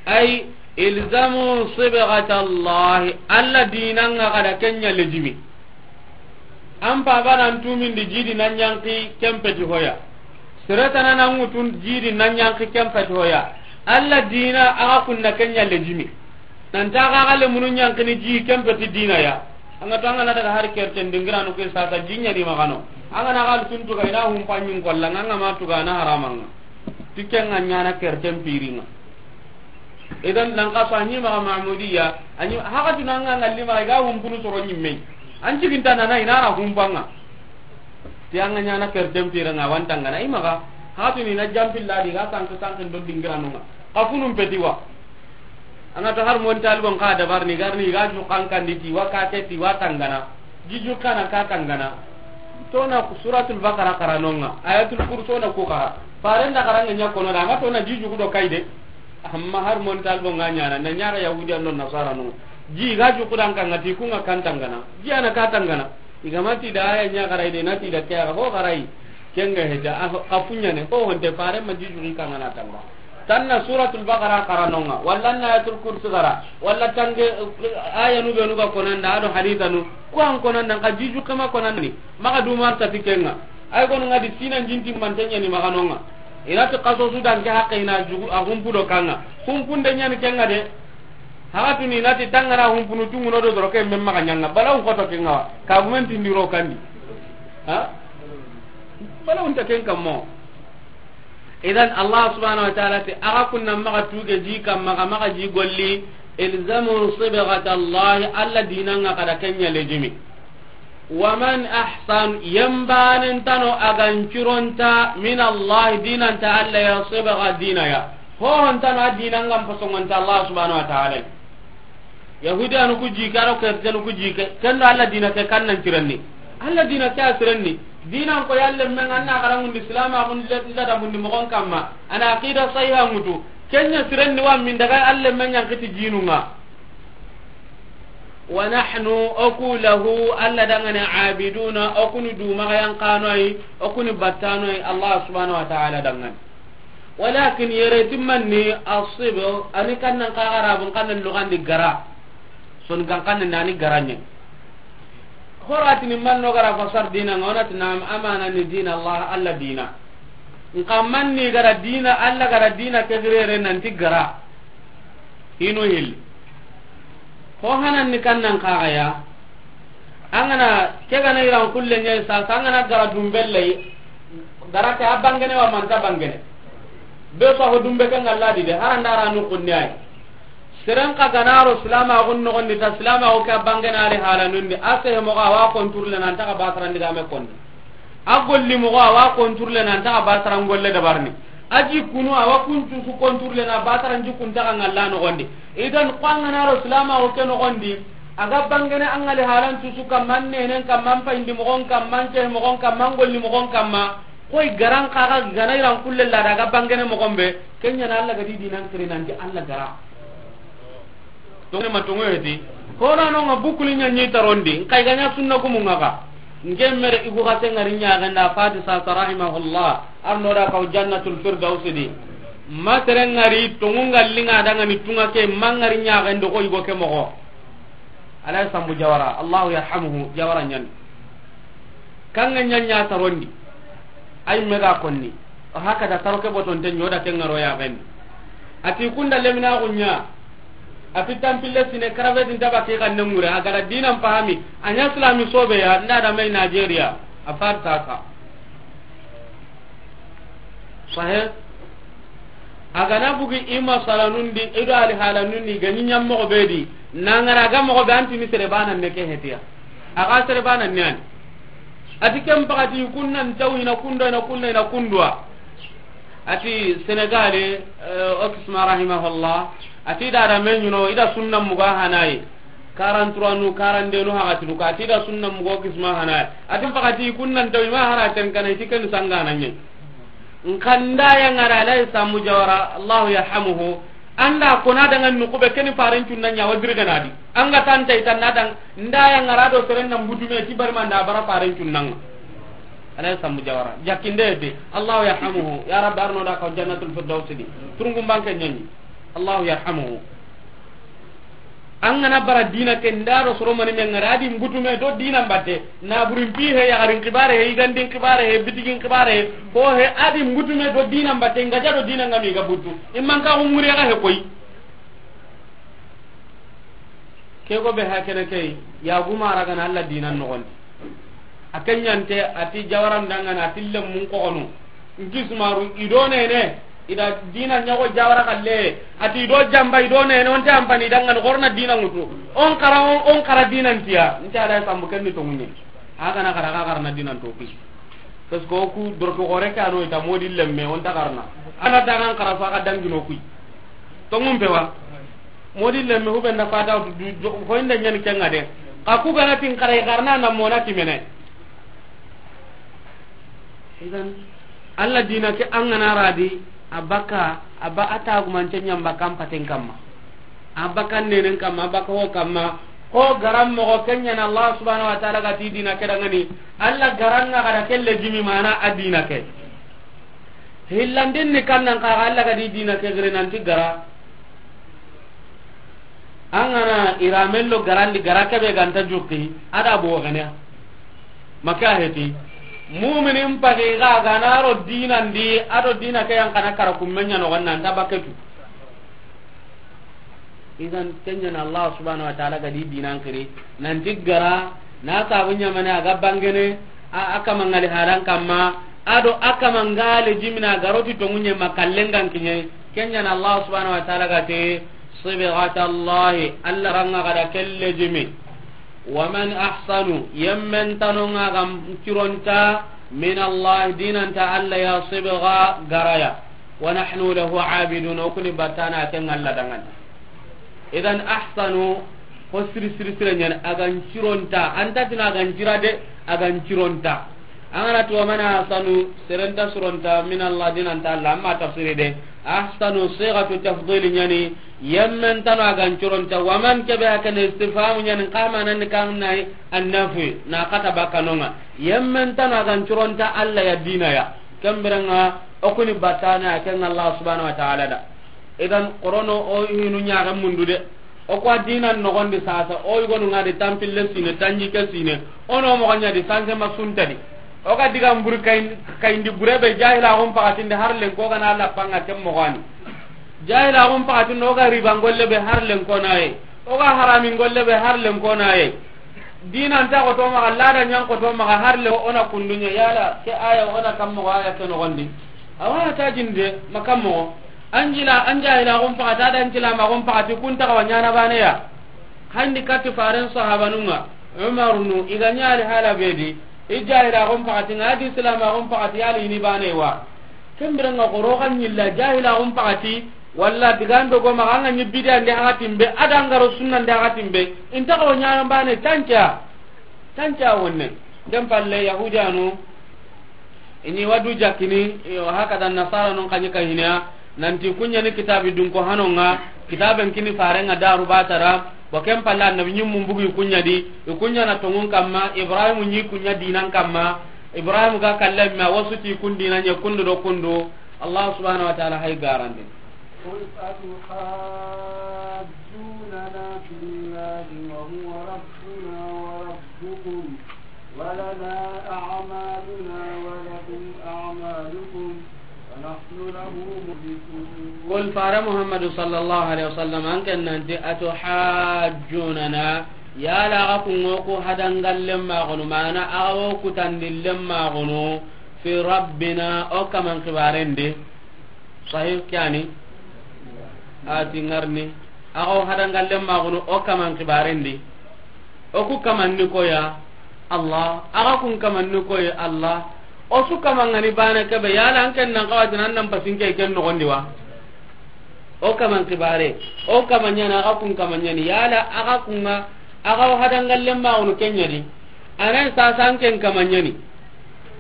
Ay, ilzamu sibghat Allah, Allah diina ŋa xa da ken ɲa lejimi. An paba nan tumindi ji di na ɲanqi ken peti hoya. Sere tana na ŋutun ji di na ɲanqi ken peti hoya. Allah diina a ga kunna ken ɲa lejimi. Nan ta ga ga lemunu ɲanqini ji ken peti diina ya. An ga to an ga na daga hari kerten dingiranu ke sasa ji ɲa ni maxa no. An ga na ga tun tu ga i na humpa ɲin kolla ŋa, an ga ma tu ga na harama ŋa. Ti ken ŋa ɲa na kerten piri ŋa. Idan nan ka so a ɲi maxa Mahmudiyya, a ɲi haxa tuna ŋa ŋalli maxa i ga humpunu soro ɲimme. An ciginta na na i na ra humpa ŋa. Ti an ga ɲa na kerten piri ŋa wa n tangana i maxa. Haxa tuni na jampilla di ga sanki sanki ndo dingiranu ŋa. Xa funun peti wa. An ga to har mon talibon xa dabar ni garni ga ju kan kan di ti wa ka ke ti wa tangana. Ji ju kana ka tangana. To na Suratul Baqara xara no ŋa. Ayatul Kursi na ku xara. Faren da xara ŋa ɲa kono da. An ga to na ji ju do kayde. Amma har mon talibon ŋa ɲa na, na ɲa ga Yahudiyan no Nasara no. Ji ga ju kudan kan ŋa ti ku ŋa kan tangana. Ji ana ka tangana. I ga ma ti da aya ɲa xarai de na ti da ke ya ho xarai. Ken ga heta, a, a fuɲa ne, ho honte fare ma ji ju kan ŋa na tanga. Tan na Suratul Baqara xara no ŋa, walla na Ayatul Kursi xara, walla tange, eh, aya nu be nu ga konanda, a do hadithanu, ko an konanda, ka ji ju kama konanda ni, maxa du mar ta ti ken ŋa. Ay kono ŋa di sinan jinti mantenya ni maxa no ŋa. I na ti kaso su dan ke hakke i na jugu, a humpu do kan ŋa. Humpun de ɲa ni ken ŋa de. Haxa tuni i na ti tangana humpunu tunguno do doro ke men maxa ɲa ŋa. Bala un xoto ken ŋa wa. Ka gumen tindiro kandi. Ha? Bala un ta ken kammo. Idan Allah subhanahu wa ta'ala ti, a ga kunna maxa tuge ji kamma, ga maxa ji golli, ilzamu sibghat Allah, Allah diina ŋa xa da ken ɲa lejimi. Wa man ahsan, yambanen tano a ga ncuronta, min Allah, diina nta Allah ya, sibgha diina ya. Ho hon tano a diina ŋa n pasongonta Allah subhanahu wa ta'ala. Yahudiyanu ku ji ke, a do Kristiyanu ku ji ke, ken do Allah diina ke kan nan cirenni. Allah diina ke a sirenni. Diinan ko ya lemme ŋa an na xaranŋundi, silaamaxun ladabundi moxon kamma. A na aqida sahiha ŋutu. Ken ɲa sirenni wa min daga Allah lemme ɲa n kiti jinu ŋa. Wa nahnu, o ku lahu, Allah danŋa ni, abiduna, o ku ni dumaxa yan kanoyi, o ku ni battanoyi, Allah subhanahu wa ta'ala danŋa ni. Walakin yere ti manni asibgh, a ni kannan xa Arabun kannan lugandi gara. Son kan kannan ni a ni gara ɲa. Horatini manno gara fasar diina ŋa, o na ti naam, amana ni diina Allah, Allah diina. Nka manni gara diina, Allah gara diina ke girere nanti gara. Hinu hilli. Ho hanan ni kannan xa ya. An ga na ke ga na iran kulle ɲa sa, an ga na gara dumbelle. Gara ke a bangene wa manta bangene. Be so ho dumbe ke ŋa Allah di de, haranda ra nu kunni ay. Seren xa ga na ro silaamaxun noxondi ta, silaamaxu ke a bangene a ri halanun di, a sehe moxo a wa contrôle nan ta xa basarandi ga me kondi. A golli moxo a wa contrôle nan ta xa basaran golle dabarini. A jikkunu a wa kuncu su contrôle na basaran jikkun ta xa ŋalla noxondi. Idan ko an ga na ro silaamaxu ke noxondi, a ga bangene an ŋali halan cusu kamma, an nenen kamma, an payindi moxon kamma, an sehe moxon kamma, an golli moxon kamma. Koy garan xa ga na iran kulle la da ga bangene moxon be, ken ɲa na Allah ga di diinan kiri nanti Allah gara. Tongene ma tongo heti. Hono no ŋa bukuli ɲa ɲi tarondi. N kay ga ɲa sunna gumu ŋa ga. N ke mere igu xase ŋari ɲaxen da Fadi Sasa rahimahullah. Arno da kaw Jannatul Firdausi di. Ma tere ŋari tongu ŋalli ŋa danŋa ni tunŋa ke ma ŋari ɲaxen do ko igo ke moxo. Alay Sambu Jawara, Allahu yarhamuhu, Jawara ɲan. Kanŋa ɲa ɲa tarondi. Ay mega konni. O haka da taro ke botonte ɲo da ke ŋaro ya gani. A ti kunda lemina gunya. A ti tampille sine karabe din taba ke kan ne ŋure, a gara diinan pahami. A ɲa silami sobe ya, nda da mai Nigeria. A far ta ka. Sahe. A ga na bugi i masalanun di, i do ali halanun di, ga ɲi ɲa moxo be di, na ŋara ga moxo be, an ti ni sere bana ne ke hetiya. A ga sere bana ne an. A ti ken paxati kunnan taw ina kundo, ina kunna, ina kundwa. Ati Senegali, eh, o kisma rahimahullah, ati da da me ñuno, i da sunna muga hanayi. Quarante-trois nu, quarante-deux nu hagati du ka, ati da sunna muga o kisma hanayi. Ati pakati kunnan tawi ma hara ten kana, iti ken sangana ñe. Nkanda ya ngara lay samu jawara, Allahu yarhamuhu. Anda kona dangan nuku be keni faren cunna ña wa dirgana di. Anga tanta itanna dang, nda ya ngara do seren nan butume ti barma nda bara faren cunnan. Alay sambu jawara. Jakinde de. Allahu yarhamuhu. Ya Rabbi, arno da ka jannatul firdaus di. Turungu banke ñani. Allahu yarhamuhu. An gana bara dina ke nda do soro mani men ngara di mbutume do dina mbatte. Na burin pi he, ya garin kibare he, igandin kibare he, bitigin kibare he. Ko he adi mbutume do dina mbatte, ngaja do dina ngami ga butu. Imman ka umuri ga he koy. Ke go be hakene kay, ya guma ragana Allah dinan nogondi. A kenyante ati jawaran dangana ati lemmun kogono. Nki sumaru ido nene, ida dina ñago jawara kalle, ati ido jamba ido nene, onte ampani dangana gorna dina ngutu. On kara, on, on kara dinan tiya, nti ala sambu kenni to munye. Hagana kara, ka karna dinan to kuy. Parce que o ku dorto gore ke ano ita modi lemme, on ta karna. Ana ta kan kara fa ka dangino kuy. To ngum pewa. Modi lemme hube na fata du, du, ko inda ñani kenga de. Ka ku gana tin kara karna na mona timene. Idan, Allah dina ke an gana radi, a baka, a ba a tagumance ñamba kan paten kamma. A baka nenen kamma, a baka ho kamma. Ko garan mogo kenyana Allah subhanahu wa ta'ala ga ti dina ke dangani. Allah garan nga ga da kelle jimi mana a dina ke. Hillandin ni kannan ka Allah ga di dina ke gire nanti gara. An gana iramello garandi gara kebe ganta jukki, ada bo gane. Maka heti. Muminin pagi ga ganaro dinandi, ado dina ke yan kana kara kummenya no ganna nda baketu. Idan kenyana Allah subhanahu wa ta'ala ga di dinan kiri. Nanti gara, na sabu ñamane a ga bangene, a, a kama ngali halan kamma, ado a kama ngale jimina garoti to munye makallengan kinye, kenyana Allah subhanahu wa ta'ala ga te, sibghatallahi, Allah ranga ga da kelle jimi. Wa man ahsanu, yemmen tanonga gam cironta, min Allah, dinanta Allah ya sibgha garaya. Wa nahnu lahu abidun, o kuni batana ken Allah dangana. Idan ahsanu, ko siri siri siri ñani, a gan cironta, anta tina a gan cira de, a gan cironta. An gana ti wa man ahsanu, serenta suronta, min Allah, dinanta Allah, amma tafsiri de. Ahsanu sighatu tafdil ñani, yemmen tano a gan cironta, wa man kebe hakene istifhamu ñani, kama nan kan nay annafi, na kata bakanonga. Yemmen tano a gan cironta Allah ya dina ya. Kembirenga, o kuni batana ken Allah subhanahu wa ta'ala da. Idan, korono o hinu ñaxe mundu de. O ko dinan nogondi sasa, o yigonu nga di tampille sine, tanjike sine. Ono mogo ña di sanse ma suntadi. O ga diga mburi kay, kayindi burebe jahila gon pakatinde har len ko gana lapanga kem mogani. Jahila gon pakatinde o ga riba ngolle be har len ko naye. O ga harami ngolle be har len ko naye. Dina nta ko to maga, lada ñan ko to maga, har le ona kundunya yala ke aya ona kam mo aya ke no gondi. Awa ta jinde makam mo. Anjila anja ila gon pakata da anjila ma gon pakati kunta ka wanyana bane ya. Handi kati faren sahabanunga. Umar nu iganya ali hala bedi. Ija ila gon pakati ngadi islam gon pakati ali ni bane wa. Kembiranga goro kan ñilla jahila gon pakati. Walla digando go maga anga ñi bidiya nde haga timbe, ada ngaro sunna nde haga timbe. Inta ko ñana bane tanca. Tanca wonne. Dem palle yahudiyanu. Ini wadu jakini, yo, hakada nasara non kanyi kahiniya. Nanti kunya ni kitabi dun ko hanonga. Kitaben kini farenga daru batara. Wa kem palle annabi ñimmu mbugi kunya di. I kunya na tongun kamma. Ibrahim ñi kunya dinan kamma. Ibrahim ga kallem ma wasu ti kun dinan ya kundu do kundu. Allah subhanahu wa ta'ala hay garande. قل أتحاجوننا في الله وهو ربنا وربكم ولنا أعمالنا ولكم أعمالكم ونحن له مخلصون. قل فار محمد صلى الله عليه وسلم أنك أنت أتحاجوننا يا لا أكون وكو هدنغال لما غنو معنا أو كتن لما غنو في ربنا أو كمن خبارين دي. Sahih kani. Ati ngarni. Ago hadangalle magunu o kaman kibarendi. O ku kaman ni koya Allah. Aga kun kaman ni koya Allah. O su kaman ŋa ni bane kebe, yala an ken nan xawa ti nan nan pasin ke ken noxon di wa? O kaman kibare, o kaman ɲa ni, a ga kun kaman ɲa ni, yala a ga kun ŋa, a ga o hadangallen maxunu ken ɲa di. A na sasa an ken kaman ɲa ni.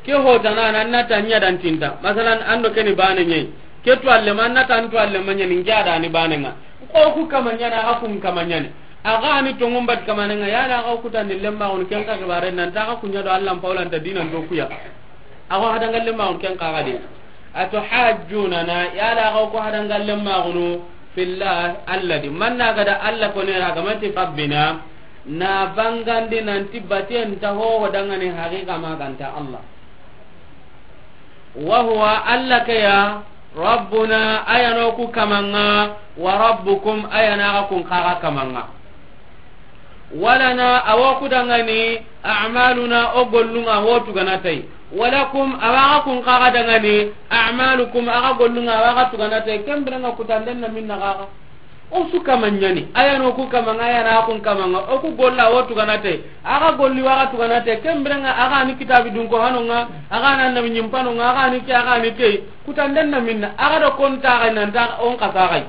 Ke hotana, an na ta ɲa dan tinta. Masalan, an do ke ni bane ɲa yi. Ke tuwalle ma, an na ta an tuwalle ma ɲa ni, n ke a da ni bane ŋa. Ko ku kaman ɲa ni, a ga kun kaman ɲa ni. A ga ni tonŋun bat kamanen ŋa, yala a ga o kutandi lemmaxunu, ken xa kibare nan ta a ga kun ɲa do Alla n pawlanta dinan do kuya. A ga o hadangallen maxunu ken xa ga de. Atuhajjunana, yala a ga o ku hadangallen maxunu, fillah, Alla di. Man na ga da Alla ko ne ra ga ma ti rabbina, na bangandi nan ti baten ta ho ho dangane haqiqa ma ga nta Alla. Wa huwa, Alla ke ya, rabbuna, a ya no ku kaman ŋa, wa rabbukum, a ya na a ga kun xa ga kaman ŋa. Walana, a wa ku dangani, a'maluna, o gollun ŋa, ho tugana tay. Walakum, a wa ga kun xa ga dangani, a'malukum, a ga gollun ŋa, a wa ga tugana tay. Ken biren ŋa kutanden na minna xa ga. O su kaman ɲa ni, a ya no ku kaman ŋa, a ya na a kun kaman ŋa, o ku golla o tugana te, a ga golli wa ga tugana te, ken biren ŋa a ga ni kitabi dun ko hanon ŋa, a ga na annabi ɲimpanon ŋa, a ga ni ke, a ga ni ke, kutanden na minna, a ga do kon ta ga nan ta on xasa ga yi.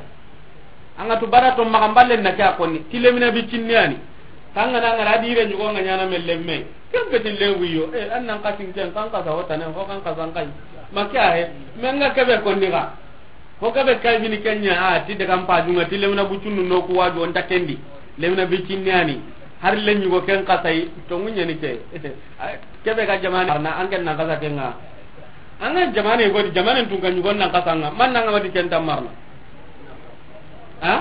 An ga tu bara to maxa n ballen na ke a konni, ti lemina bi cinni ya ni. Tangana ngara dire ɲugo ŋa ɲana melle me. Ken beti lewi yo, e, an nan xasin ken, kan xasa hotane, ho kan xasan xa yi. Ma ke a he, me n ga kebe konni ga. Ho gabe kay bini ken ɲa, a ti daga n pajun ŋa, ti lemina bucunnu no ku waju, o nta ken di. Lemina bicinni ya ni. Hari le ɲugo ken xasa yi, tonŋu ɲa ni ke. Kebe ga jamane marna, an ken nan xasa ken ŋa. An ga jamane go di, jamane tun ka ɲugo nan xasa ŋa. Man nan ŋa ma ti ken ta marna. Ha?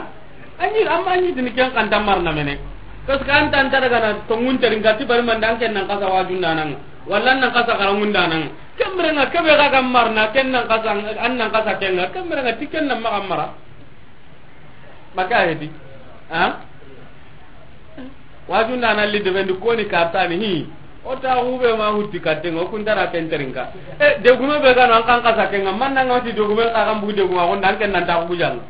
Anyi, amma anyi dini ken xa nta marna mene. Parce que an ta, an ta daga na tonŋun terinka ti bari man da an ken nan xasa wajun da nan ŋa. Walla nan xasa xaranŋun da nan ŋa. Ken biren ŋa kebe ga ga marna, ken nan xasa, an nan xasa ken ŋa, ken biren ŋa ti ken nan maxa mara. Maka heti. Ha? Wajun da nan li de bendi koni kartani hi. O ta hube ma hutti katten ŋa, o kun tara ken terinka. E, degume be ga no an kan xasa ken ŋa, man nan ŋa ti degume xa kan bu deguma, ko ndan ken nan ta ku jang.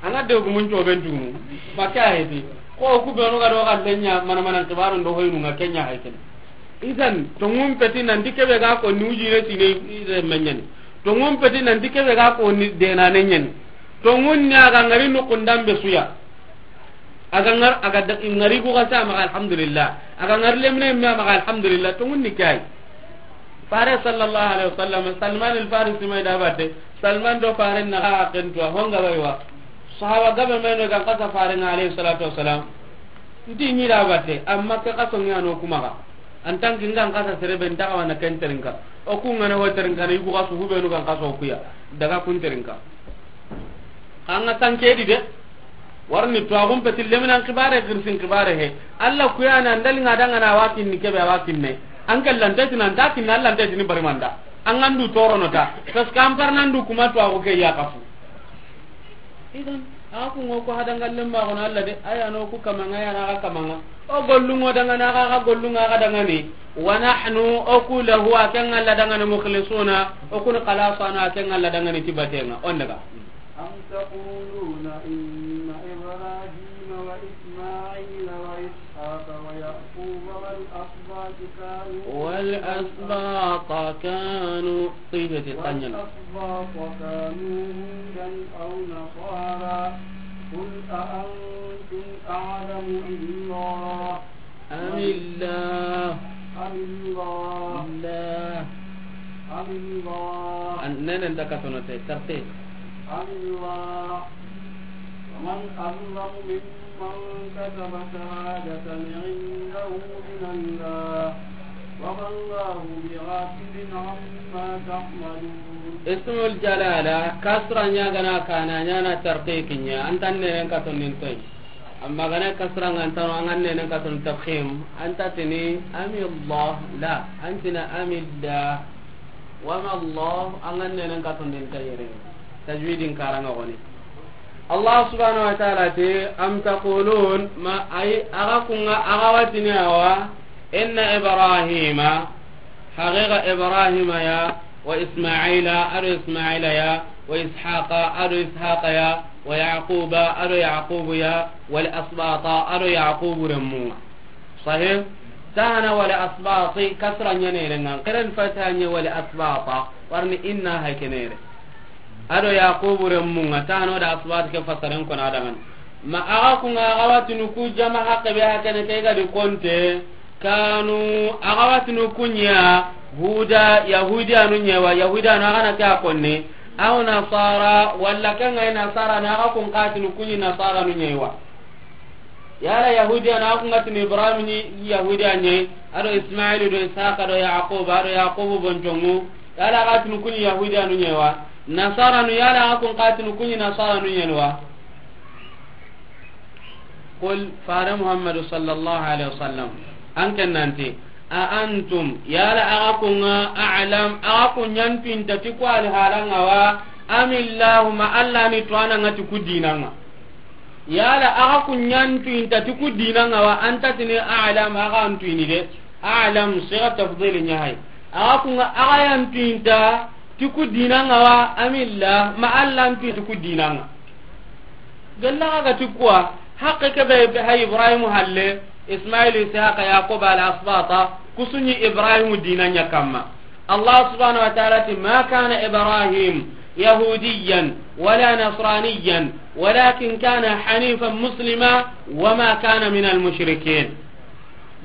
An ga degumun to ben tumu. Maka heti. Ko ku be no ga do ga lenya mana mana kibaru ndo hoynu ŋa ken ɲa hay ken. Idan, tonŋun peti nan ti kebe ga ko ni ujire sine ire menyani. Tonŋun peti nan ti kebe ga ko ni dena ne ɲani. Tonŋun ni a ga ngari no kundan be suya. A ga ngar, a ga da, ngari ku ga sa maxa alhamdulillah. A ga ngari lemine me maxa alhamdulillah. Tonŋun ni kay. Fare sallallahu alaihi wasallam, Salman al-Farisi mai da batte. Salman do fare na ga ken to honga baywa. Sahaba gabe mai no ga xasa fare ŋa alaihi salatu wasalam. Nti ɲi da batte, amma ke xaso ŋa no kuma ga. An tan ki n ga n xasa sere be nta xa wa na ken terinka. O ku ŋa na ho terinka, na yugu xasu hubenu ga n xaso kuya. Daga kun terinka. Xa ŋa tan ke di de. Warni to a gum peti leminan kibare, girsin kibare he. Alla kuya na ndali ŋa danga na wakin ni kebe wakin ne. An kallan teti nan ta kin Alla teti ni bari manda. An gandu toro no ta. Parce que an par nan du kuma to a go ke ya kafu. Idan, a ku ŋo ko hadangallen ma gono Alla de, a ya no ku kamanga, a ya na ga kamanga. O gollun ŋo dangana ga, ga gollun ŋa ga dangani. Wa nahnu, o ku lahu, a ken Alla dangani, mukhlisuna, o kun xalasana, a ken Alla dangani ti batenga. On daga. أم تقولون إن إبراهيم وإسماعيل وإسحاق ويعقوب والأسباط كانوا والأسباط كانوا طيبة القنين. والأسباط كانوا هودا أو نصارى. قل أأنتم أعلم أم الله؟ أم الله. أم الله. الله. أم الله. An-, nenen da katono te, tartib. أم الله. ومن أظلم ممن كتب شهادة عنده من الله. وما الله بغافل عما تعملون. Ismul jalala, kasra ɲa ga na kana ɲa na tarqiq ɲa, an tan nenen katonin toy. Amma gana kasra ŋa an tano, an ga nenen katon tafkhim, an ta tini amillah, la, an tina amillah. Wa ma Allah, an ga nenen katon den tayere. Tajwidin karanga goni. Allah subhanahu wa ta'ala ti, am taqulun, ma ay, aga kunga, aga watini awa, inna Ibrahima, haqiqa Ibrahima ya, wa Ismaila, ado Ismaila ya, wa Ishaqa, ado Ishaqa ya, wa Yaquba, ado Yaqubu ya, wal asbata, ado Yaqubu remmu. Sahih? Tahana wala asbati, kasra ɲa ne yere ŋa, keren fata ɲa wala asbata, warni inna hay ke ne yere. Ado Yaqubu remmu ŋa, tahana wala asbati ke fasaren ko na daga ni. Ma a ga ku ŋa, a ga wa tini ku jama haqqe be hakene ke ga di konte, kanu, a ga wa tini ku ɲa, Huda, Yahudiyanu ɲa wa, Yahudiyanu a ga na ke a konni, aw Nasara, walla ke ŋa i Nasara na, a ga ku n ka tini ku ɲi Nasaranu ɲa wa. Yala Yahudiya na ku ŋa tini Ibrahim ni Yahudiya ɲa, ado Ismailu do Ishaqa do Yaquba do Yaqubu bontongu, yala a ga tini ku ɲi Yahudiyanu ɲa wa? Nasaranu, yala a ga ku n ka tini ku ɲi Nasaranu ɲa wa? Qul, fare Muhammadu sallallahu alaihi wasallam, an ken nanti, a antum, yala a ga ku ŋa, a'lam, a ga ku ɲa n tuinta ti ku alhala ŋa wa, amillahu, ma Allah ni tuana ŋa ti ku dina ŋa. Yala a ga ku ɲa n tuinta ti ku dina ŋa wa, an ta tini a'lam, a ga an tuini de. A'lam, siga tafdil ɲa hay. A ga ku ŋa, a ga ya n tuinta ti ku dina ŋa wa, amillah, ma Allah n tuini ti ku dina ŋa. Gella ga ti kuwa, haqqe ke be hay Ibrahim halle, Ismail, Ishaq, Yaqub, al asbata, ku su ɲi Ibrahim dina ɲa kamma. Allah subhanahu wa ta'ala ti, "Ma kana Ibrahim yahudiyan wala nasraniyan, walakin kana hanifan muslima, wa ma kana min al mushrikin."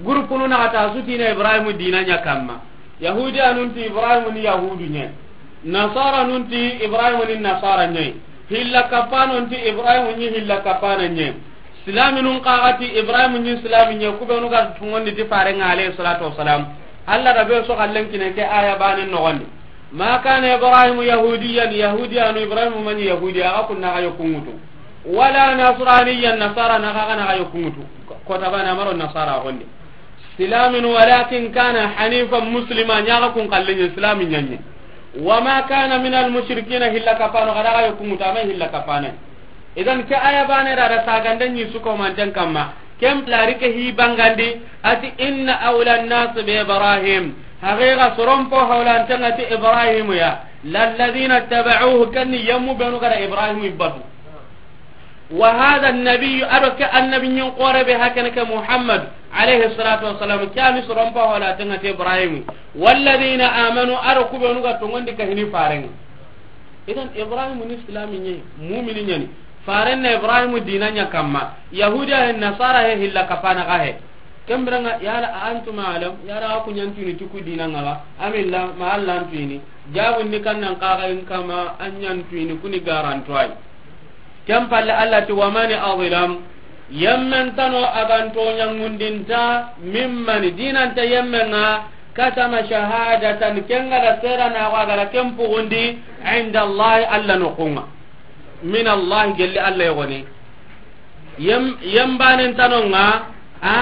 Gurupunu na ta su ti na Ibrahim dina ɲa kamma. Yahudiyanun ti Ibrahim ni Yahudu ɲa. Nasaranun ti Ibrahim ni Nasara ɲa. Hilla kapanon ti Ibrahim ni hilla kapana ɲa. Silaminun xa ga ti Ibrahim ni silami ɲa, ku be nu ga tungondi ti fare ŋa alayhi salatu wassalam. Allah da be so kallen kine ke aya banen nogondi. Ma kana Ibrahim yahudiyan, Yahudiyanu Ibrahim ma ɲi Yahudi, a ga ku na ga yo kungutu. Wala nasraniyan, Nasara na ga na ga yo kungutu. Ko tabana maro Nasara gonde. Silamin, walakin kana hanifan muslima, ɲa ga ku n kallen ɲa silami ɲa ɲa. Wa ma kana min al mushrikina, hilla kapano ga da ga yo kungutu, a ma hilla kapana. Idan ke aya bane da da sagande ɲi su ko manten kamma. Kem lari ke hi bangandi, a ti, "Inna awla an-nas bi Ibrahim." Haqiqa soron po hawlanten ŋa ti Ibrahim ya. Lalladhina taba'uhu, ken ni yammu be nu ga da Ibrahim batu. Wa hadha an-nabiyyu, ado ke annabi ɲin xore be hakene ke Muhammad alayhi salatu wassalam, ke a ni soron po hawlanten ŋa ti Ibrahim. Walladhina amanu, ado ku be nu ga tongondi ka hini faren ŋa. Idan Ibrahim ni silami ɲa, mumini ɲa ni. Faren na Ibrahim dina ɲa kamma. Yahudiya he, Nasara he, hilla kapana ga he. Ken biren ŋa, yala a antum a'lam, yala a ga ku ɲa n tuini ti ku dina ŋa wa? Amillah, ma Allah n tuini. Jabun ni kannan xa ga in kama, an ɲa n tuini, ku ni garanto ay. Ken palle Allah ti, "Wa man azlam." Yemmen tano a ga n toɲangundinta, mimman, dinanta yemmen ŋa, katama shahadatan, ken ga da seranaxu a ga da ken puxundi, inda Allah, Allah noxun ŋa. Min Allah, gelli Allah yogoni. Yem, yembanen tano ŋa, a,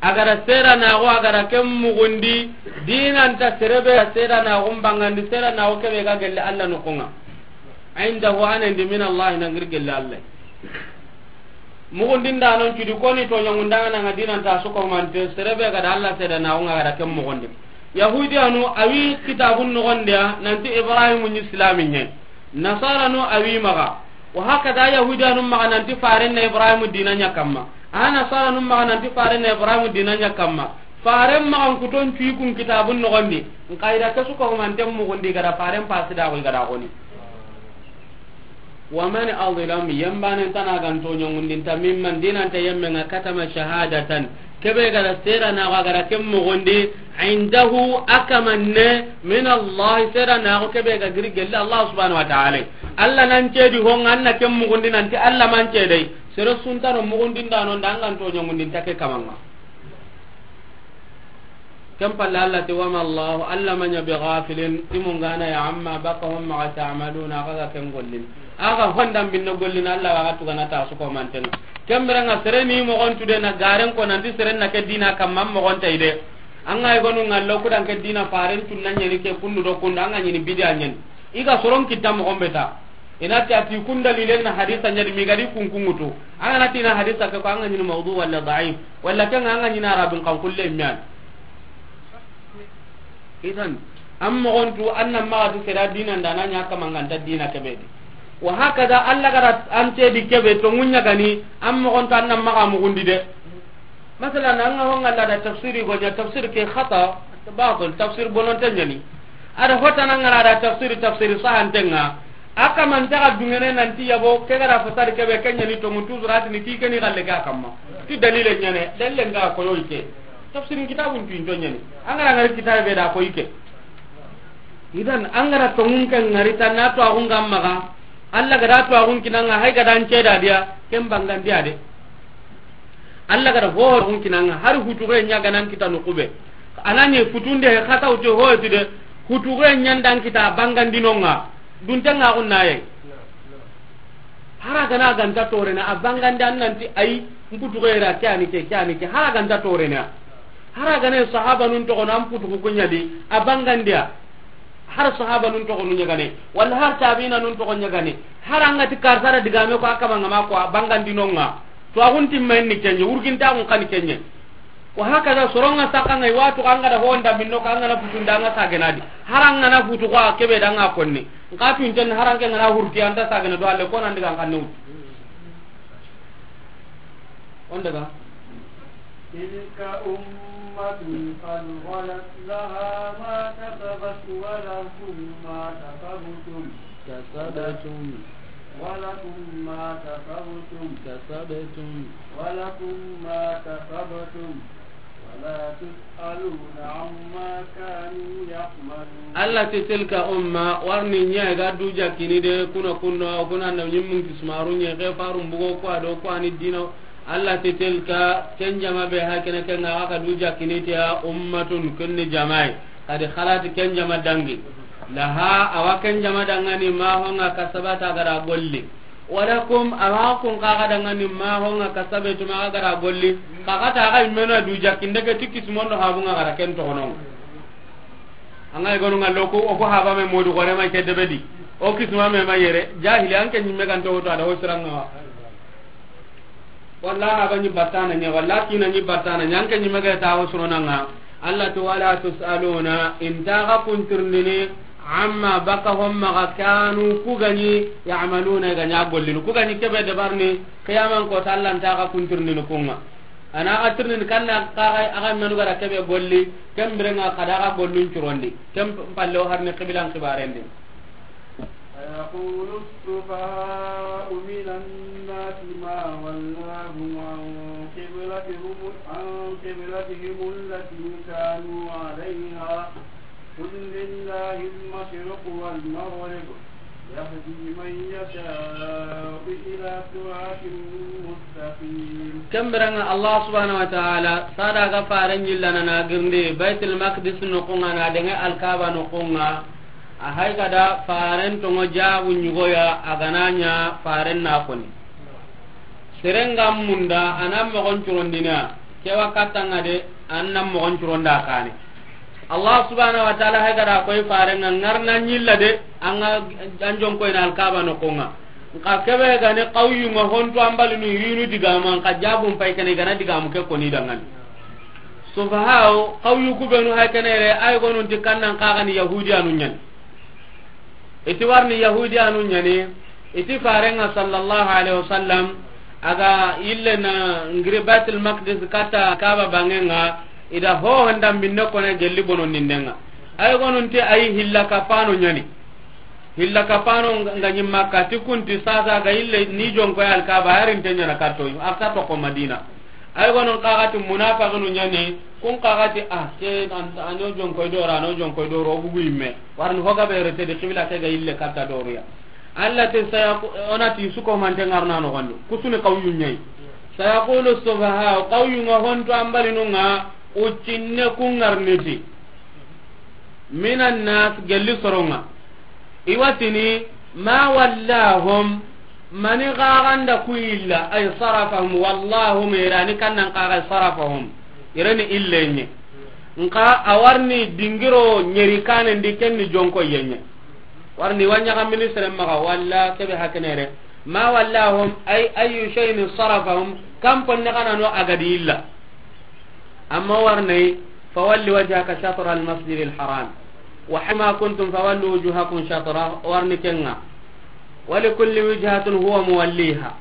a ga da seranaxu a ga da ken muxundi, dinanta sere be ga seranaxu n bangandi, seranaxu ke be ga gelli Allah noxun ŋa. Indahu, a na ndi min Allah, na giri gelli Allah. Muxundindanon cudi koni toɲangundangana ŋa dinanta su ko mante, sere be ga da Allah sedanaxu ŋa ga da ken muxundi. Yahudiyanu a wi kitabun noxondiya nanti Ibrahim ɲi silami ɲa. Nasaranu a wi maxa. Wa hakada Yahudiyanu maxa nanti faren na Ibrahim dina ɲa kamma. A Nasaranu maxa nanti faren na Ibrahim dina ɲa kamma. Faren maxa n kuton cuyi kun kitabun noxondi. N xa i da ke su ko manten muxundi ga da faren pasi da xo i ga da xoni. Wa man azlam, yembanen tana ga n toɲangundinta, mimman, dinanta yemmen ŋa, katama shahadatan, ke be ga da seranaxu a ga da ken muxundi, indahu, a kamanne, min Allah, seranaxu ke be ga giri gelli Allah subhanahu wa ta'ala. Allah nan cedi ho ŋa, an na ken muxundi nanti Allah man cedey. Sere suntano muxundindanon da an ga n toɲangundinta ke kaman ŋa. Ken palle Allah ti, "Wa ma Allahu, Allah ma ɲa bi ghafilin, timungana ya, amma baka hon maxa ta'maluna, xa ga ken gollin." A ga hondan binne gollin, Allah wa ga tugana ta su ko manten ŋa. Ken biren ŋa sere ni moxon tude na garen ko nanti sere na ke dina kamma moxon tay de. An ga i gonu ŋallo kudan ke dina faren tunna ɲeni ke kundu do kundu, an ga ɲini bidiya ɲeni. I ga soron kitta moxon beta. I na ti a ti kun dalilen na hadisa ɲa di mi ga di kun kungutu. An ga na ti na hadisa ke ko an ga ɲini mawdu wala da'if. Wala ken an ga ɲini arabin kan kulle miyan. Idan, an moxon tu an nan maxa tu sera dina nda na ɲa kamanganta dina kebe di. Wa hakada Allah ga da an te di kebe to munya gani an moxon tu an nan maxa muxundi de. Masalan, an ga ho ŋa la da tafsiri go ɲa, tafsir ke khata, batil, tafsir bononte ɲa ni. A da hotana ŋa la da tafsiri, tafsiri sahantenga. A kamanta ga dungene nanti yabo, ke ga da fasari kebe, ke ɲa ni tongu, tuzurati ni ki ke ni galle ga kamma. Ti dalile ɲa ne, dalile nga ko yo ike. Tafsirin kitabun tu into ɲa ni. An ga ra ŋari kitabe da ko ike. Idan, an ga ra tongun ke ŋari tan na to agun gamma ga. Allah ga da to agun kinanga, hay ga da an ceda dia, ken bangandiya de. Allah ga da ho agun kinanga, hari hutuge ɲa ga nan kita nukube. Anani futunde he khata uti ho ti de, hutuge ɲa ndan kita bangandinonga. Duntenga agun naye. Hara gana ganta torena, a bangandi an nanti ay, mputuge ra ke ani ke, ke ani ke. Hara ganta torena. Hara gana sahaba nun toxo nan putugu kuɲa di, a bangandiya. Har sahaba nun toxo nu ɲagane, walla har tabiina nun toxo ɲagane. Har an ga ti karsara digame ko a kama ngama ko a bangandinonga. To agun timmen ni kenye, wurginta agun kan kenye. Wa hakaza soronga sakanga wa to an ga da honda minno ka an ga na futunda an ga sagenadi. Har an ga na futu ko a kebe da an ga konni. Nka tun ten har an ke ngana hurti anta sagena do alle ko nan diga kan nu. On daga. تلك أمة قد خلت لها ما كسبت ولكم ما كسبتم. كسبتم. ولكم ما كسبتم. كسبتم. ولكم ما كسبتم. ولا تسألون عما كانوا يعملون. Allah ti tilka umma, warni ɲa ga du jakini de, kuna kunno, kuna na ɲimmun kismaru ɲa, ke farun bugo ko ado ko ani dino. Allah ti tilka, ken jama be ha kene ken ga ka du jakini te ya ummatun kunni jamai. Kadi khalati ken jama dangi. Laha, awa ken jama dangani ma honga kasabata gara golli. Walakum, awa kun kaga dangani ma honga kasabtum aga gara golli. Kaga ta aga imena du jakinde ke tikis mondo habunga gara ken tokono. Anga igonu ngallo ko, o ko haba me modu gore ma ke debedi. O kisma me ma yere, jahili an ke nyimme kan to to ada hosranga. Walla haba ni batana nya, walla kina ni batana nya, an ke nyimme ga ta hosrona nga. Allah to wala tusaluna, intaga kuntirndini, amma baka homma ga kanu kugani, ya'maluna ganya gollin. Kugani kebe de barni, qiyaman ko tallan taga kuntirndini kunga. Ana ga tirnin kanna kaga aga menu gara kebe golli, kembirenga kada ga gollun curondi. Kem pallo harni qiblan qibarendi. سيقول السفهاء من الناس ما ولاهم عن قبلتهم، عن قبلتهم التي كانوا عليها. قل لله المشرق والمغرب، يهدي من يشاء إلى صراط مستقيم. Kembirenga Allah subhanahu wa ta'ala, sada ga faren yillana na girndi Baitul Maqdis no kunga na denge Al-Kaaba no kunga. A hay gada faren tongo jabu nyugoya a gananya faren na koni. Serenga munda anan mogon curondina, kewa kattanga de, anan mogon curonda kane. Allah subhanahu wa ta'ala hay gada koy farenga ngarna nyilla de, anga anjon koy na Al-Kaaba no konga. Nka kebe gane qawyunga honto ambalinu yinu digamu, nka jabun pay kene gana digamu ke koni dangani. Sufahau, qawyu kubenu hay kene re, ay gonun ti kannan kagani Yahudiyanu nyani. Iti warni Yahudiyanu nyani, iti farenga sallallahu alaihi wasallam, aga yille na ngiri Baitul Maqdis kata Kaaba bangenga, ida ho honda minne kone gelli bono nindenga. Ay gonun ti ay hilla kapano nyani. Hilla kapano nga nyimma kati kunti sasa ga yille ni jonko ya Al-Kaaba yarin tenya na karto, akta to ko Madina. Ay gonon kagati munafaqinu nyani, kun kagati, ah, ke an, ano jonko dora, ano jonko doro bugu imme. Warni hoga be rete de qibla ke ga ille katta doriya. Allah te saya onati suko mante ngarna no gondo. Kusuni qawyu nyai. Sayaqulu sufaha, qawyu nga honto ambalinunga ucinne kungarniti. Minan nas, gelli soronga. Iwatini, ma wallahum, mani gaganda ku illa, ay sarafahum, wallahum, irani kannan kaga sarafahum. Irani illenye. Nka awarni dingiro nyeri kanen di kenni jonko yenye. Warni wanya ga ministre maga, walla kebe hakenere. Ma wallahum, ay ayu shay'in sarafahum, kam ponne kana no agadi illa. Amma warnay, fawalli wajhaka shatra al-masjid al-haram. Wa haythuma kuntum fawallu wujuhakum shatra, warni kenga. Wa li kulli wijhatin huwa muwalliha.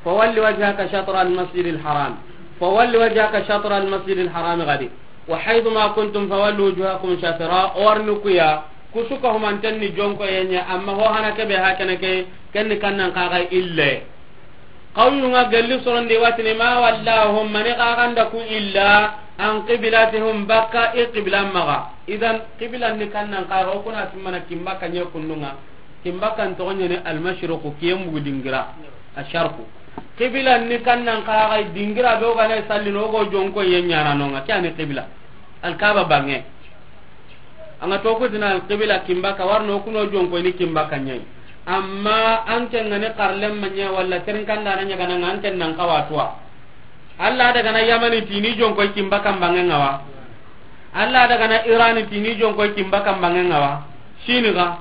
Fawalli wajhaka shatra al-masjid al-haram. فول وجهك شطر المسجد الحرام غادي، وحيث ما كنتم فولوا وجوهكم شطره. O wa riini ku ya, ku su ka humanten ni jonkoye ɲa, amma ho hana ke be hakene ke, ken ni kannan kaga ille. Xawnu ŋa gelli sorondi wa tini, ما ولاهم, mani xa ga nda ku illa, عن قبلتهم, bakka i qibla maxa. Idan, qibla ni kannan kaga, o kuna timmana kin bakka ɲa kunnu ŋa. Kin bakkan toxo ɲa ni almashriqu, kiyen bugu dingira, asharqu. Qibla ni kannan kaga, dingira be o ga na sallini, o go jonkoye ɲaana no ŋa, ke ya ni qibla. Alkaba banŋe. An ga to ku tini alqibla kin bakka, wa riini o kuno jonkoyini kin bakka ɲa yi. Amma an ke ŋa ni xarlen ma ɲa, walla terin kanda na ɲa ga na ŋa, an ke nan xawa tuwa. Alla daga na Yamani ti ni jonkoy kin bakka banŋe ŋa wa. Alla daga na Irani ti ni jonkoy kin bakka banŋe ŋa wa. Sini ga.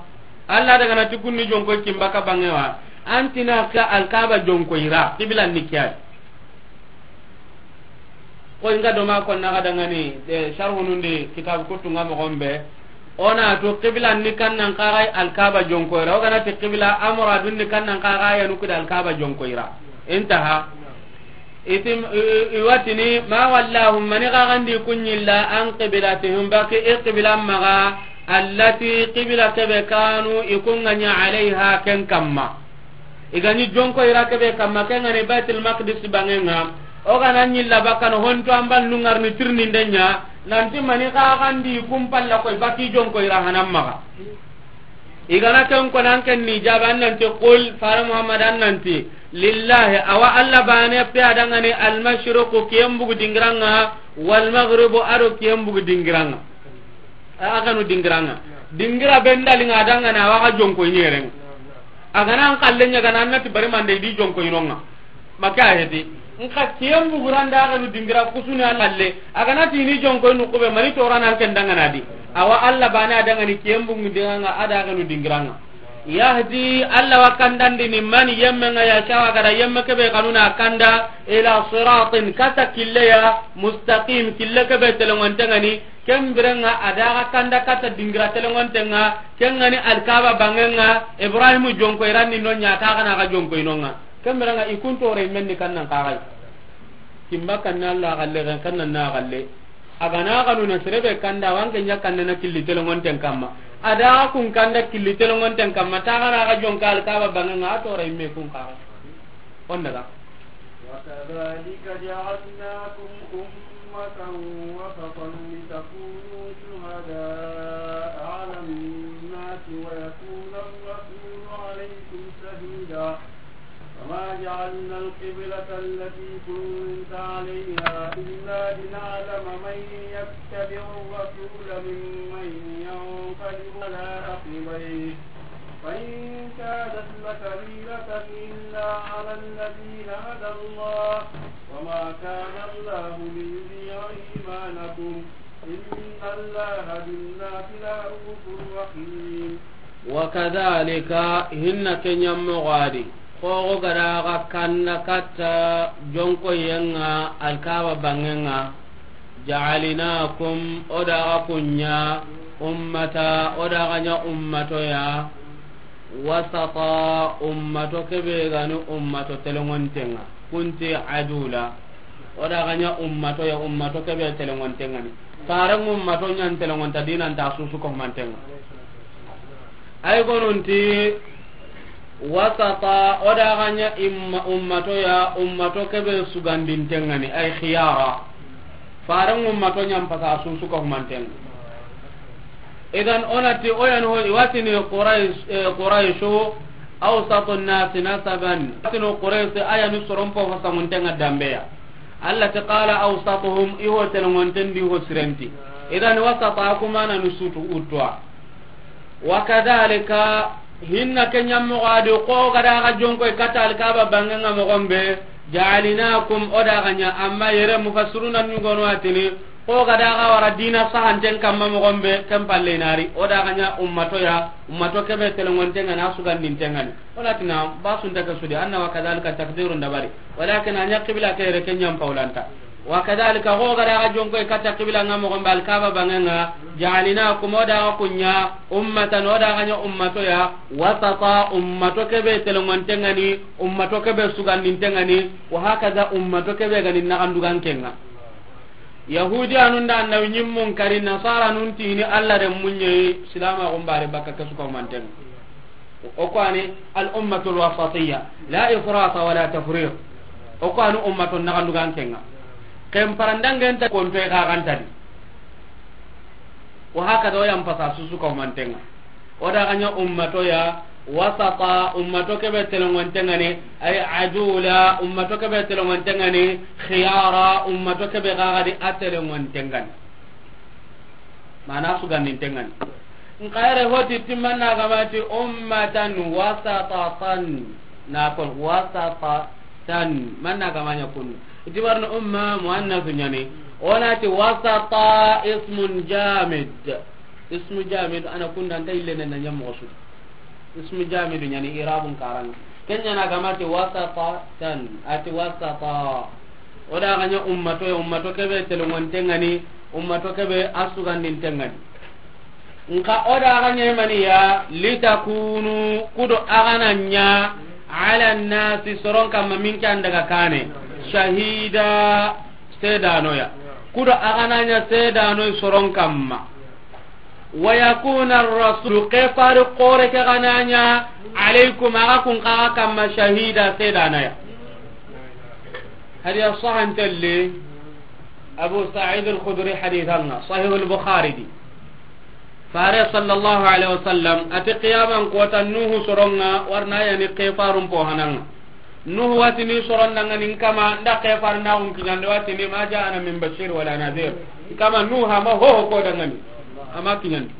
Alla daga na ti kun ni jonkoy kin bakka banŋe wa. An ti na ka alkaba jonkoyira, qibla ni ke ya. Ko inga do ma ko na ga dangani, de, sharhunun di kitab kutunga moxo be. O na tu qibla ni kannan kaga alkaba jonkoyira. O ga na ti qibla, a muradun ni kannan kaga ya nu ku da alkaba jonkoyira. Intaha. Itim, i, i, i wa tini, ما ولاهم, mani xa ga ndi ku ɲa illa, عن قبلتهم, bakka i qibla maxa, التي, qibla ke be, كانوا, i ku ŋa ɲa, عليها, ken kamma. I ga ni jonkoyira ke be kamma, ken ŋa ni Baitul Maqdis banŋe ŋa. O ga na ɲi illa bakka no, honto an ban nu ŋa riini tirindinde ɲa, nan ti mani xa ga ndi ku n palla koy, bakka i jonkoyira hanan maxa. I ga na ken ko nan ken ni jaaba, an nan ti, قل, fare Muhammad, an nan ti, لله, a wa Alla baane pe ya dangani, المشرق, kiyen bugu dingira ŋa, والمغرب, a do kiyen bugu dingira ŋa. A, a ga nu dingira ŋa. Dingira be ndali ŋa dangani, a wa ga jonkoyini yere ŋa. A ga na an xalle ɲa ga na, an na ti bari mande di jonkoyini no ŋa. Maka heti. Nka kiyen buguranda a ga nu dingira ku su ni a lalle. A ga na ti ni jonkoyini ku be, mani torana an ken dangana di. A wa Alla baane a dangani kiyen bugu dingira ŋa, a da a ga nu dingira ŋa. يهدي, Alla wa kandandini, من, yemme ŋa, يشاء, a ga da yemme ke be xanu na kanda, إلى صراط, katta kille ya, مستقيم, kille ke be telengonte ŋa ni, ken bire ŋa a da a ga kanda katta dingira telengonte ŋa, ken ŋa ni alkaba banŋe ŋa, Ibrahimu jonkoyiran ni no ɲa, a ta xa na a ga jonkoyini no ŋa. Ken bire ŋa i ku n tore men ni kannan kaga yi. Kin bakka ni Alla xalle, ken kannan na xalle. A ga na xanu na sere be kanda, wa an ke ɲa kanda na killi telengonten kamma. A da a ga kun kanda killi telengonten kamma, ta xa na a ga jonka alkaba banŋe ŋa, a tore me kun kaga. On daga. وكذلك جعلناكم أمة وسطا لتكونوا شهداء على الناس ويكون الرسول عليكم شهيدا. وما جعلنا القبلة التي كنت عليها إلا لنعلم من يتبع الرسول ممن ينقلب على عقبيه، وإن كانت لكبيرة إلا على الذين هدى الله، وما كان الله ليضيع إيمانكم، إن الله بالناس لرءوف رحيم. وكذلك, hinna ke ɲa moxo di, xoxo ga da a ga kanda katta jonkoyen ŋa alkaba banŋe ŋa, جعلناكم, o da a ga kun ɲa, أمة, o da a ga ɲa ummato ya, وسطا, ummato ke be ga ni ummato telengonten ŋa. Kun ti adula. O da a ga ɲa ummato ya, ummato ke be telengonten ŋa ni. Faren ummato ɲa n telengonta, dinan ta su su ko manten ŋa. Ay gonun ti وسطا, o da a ga ɲa imma, ummato ya, ummato ke be sugandinten ŋa ni, ay خيارا. Faren ummato ɲa n pasa su su ko manten ŋa. Idan o na ti o yan ho, i wa tini Quraysh, eh, Qurayshu أوسط الناس نسبا. Tini Quraysh, a ya ni soron po fasangunten ŋa dambe ya. Alla ti قال أوسطهم, i ho telengonten di ho sirenti. Idan وسطا ku maana ni su tu utwa. وكذلك, hinna ke ɲa moxo di, xoxo ga da a ga jonkoy katta alkaba banŋe ŋa moxo be, جعلناكم, o da a ga ɲa, amma yere mufassiruna ni gono a tini, xoxo ga da a ga wara dina sahanten kamma moxo be, ken palle na ri, o da a ga ɲa ummato ya, ummato ke be telengonten ŋa ni, a sugandinten ŋa ni. O na ti na, ba su nta ke su di, anna وكذلك takdirun dabari. Walakin a ɲa qibla ke yere ke ɲa n pawlanta. Wa kadhalika, xo ga da ga jonko i katta qibla ŋa moxo be Alkaaba banŋe ŋa, ja'alnakum, o da ga ku ɲa, ummatan, o da ga ɲa ummato ya, wasata, ummato ke be telongonte ŋa ni, ummato ke be sugandinte ŋa ni, wa hakaza, ummato ke be ga ni naxanduganke ŋa. Yahudiyanun da annabi ɲimmun kari, Nasaranun ti i ni Alla renmun ɲa yi, Silaamaxun bare bakka ke su ka humanten ŋa. O ku wa ni al ummatul wasatiyya, la ifrata wala tafrit. O ku wa ni ummato naxanduganke ŋa. Ken parandangen ta kontoy xa ga nta di. Wa hakaza, o yan pasa su su ka humanten ŋa. O da ga ɲa ummato ya, wasata, ummato ke be telongonte ŋa ni, ay adula, ummato ke be telongonte ŋa ni, khiyara, ummato ke be ga ga di a telongonte ŋa ni. Mana sugandinte ŋa ni. Nxa yere hoti ti manna ga ma ti ummatan wasatatan. Na kon wasatatan. Manna ga ma ɲa kunu. Itibarno umma muannasu ɲa ni. O na ti wasata ismun jamid. Ismu jamid, a na kunda nta yille ne na ɲa moxo su. Ismu jamidu ɲa ni, irabun karan. Ken ɲa na ga ma ti wasatatan, a ti wasata. O da ga ɲa ummato ya, ummato ke be telongonte ŋa ni, ummato ke be a sugandinte ŋa ni. Nxa o da ga ɲa mani ya, litakunu, ku do a ga na ɲa, ala nasi, soron kamma, minke an daga kane, shahida, sedano ya. Ku do a ga na ɲa sedano soron kamma. Wa yakuna ar-rasulu, ke fari xore ke ga na ɲa, alaykum, a ga kun xa ga kamma, shahida, sedana ya. Hadiya sahantelle, Abu Sa'id al-Khudri hadithan ŋa, Sahih al-Bukhari di. Fare sallallahu alaihi wasallam, a ti qiyaman kota Nuhu soron ŋa, wa ri na ya ni ke farun po hanan ŋa. Nuhu wa ti ni soron da ŋa ni n kama, n da ke far na kun kiɲandi, wa ti ni ma ja'ana min bashir wala nadhir. N kama Nuhu a ma ho ho ko da ŋa ni. A ma kiɲandi.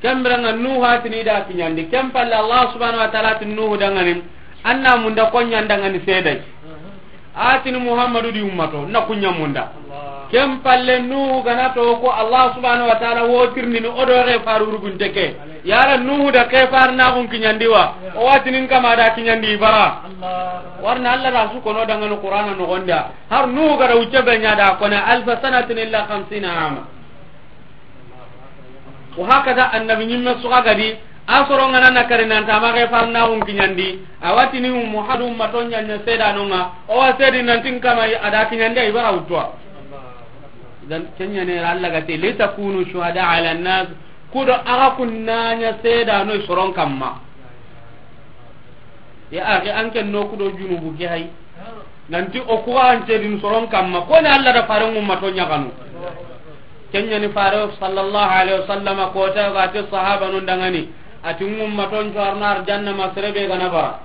Ken bire ŋa Nuhu wa ti ni da kiɲandi. Ken palle Allah subhanahu wa ta'ala ti Nuhu da ŋa ni. An na munda ko ɲa n da ŋa ni sedai. A ti ni Muhammadu di ummato, na ku ɲa munda. Ken palle Nuhu ga na to ko Allah subhanahu wa ta'ala wo tirindini o do ke faru urugunte ke. Yala Nuhu da ke far na kun kiɲandi wa? O wa ti ni n kama da kiɲandi bara. Wa ri na Allah da su kono da ŋa ni Qur'ana noxon di. Har Nuhu ga da wucce be ɲa da ko na alfa sanatin illa khamsina ama. Wa hakaza annabi ɲimme su ga di, a soron ŋa na na kari nan ta ma ke far na kun kiɲandi, a wa ti ni Muhammadu ummato ɲa ɲa sedano ŋa, o wa sedi nan ti n kama a da kiɲandi, a yi bara wuttu wa. Dan ken ɲa ne Allah ga ti, litakunu shuhada ala nas, ku do a ga kun na ɲa sedano soron kamma. Ya axi, an ken no ku do junubu ke hay. Nanti o ku an cedin soron kamma, ko ni Allah da faren ummato ɲa kanu. Ken ɲa ni fare sallallahu alaihi wasallam ko ta ga ti sahabanun da ŋa ni, a ti ummaton cuwarno arjanna ma sere be ga na bara.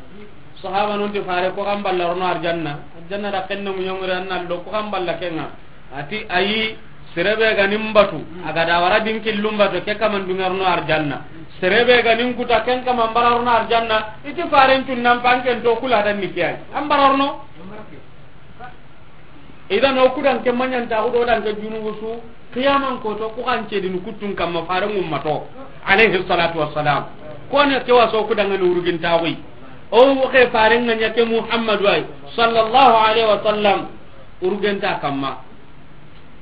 Sahabanun ti fare ko kan balla rono arjanna. Arjanna da ken na mu ɲongure an na lo ko kan balla ken ŋa. A ti ayi, sere be ga ni n batu, a ga da wara di n killu n batu, ke kaman dunŋa rono arjanna. Sere be ga ni n kuta, ken kaman bara rono arjanna. I ti faren cun nan panken to kula dan ni ke ay. An bara rono. Idan o kudan ke maɲanta, o do dan ke junubu su, qiyaman koto, ku kan cedini kuttun kamma faren ummato, alayhi salatu wassalam. Ko ne ke wa so kudan ŋa ni urugintaxu yi. O ke faren ŋa ɲa ke Muhammadu ay, sallallahu alaihi wasallam. Urugenta kamma.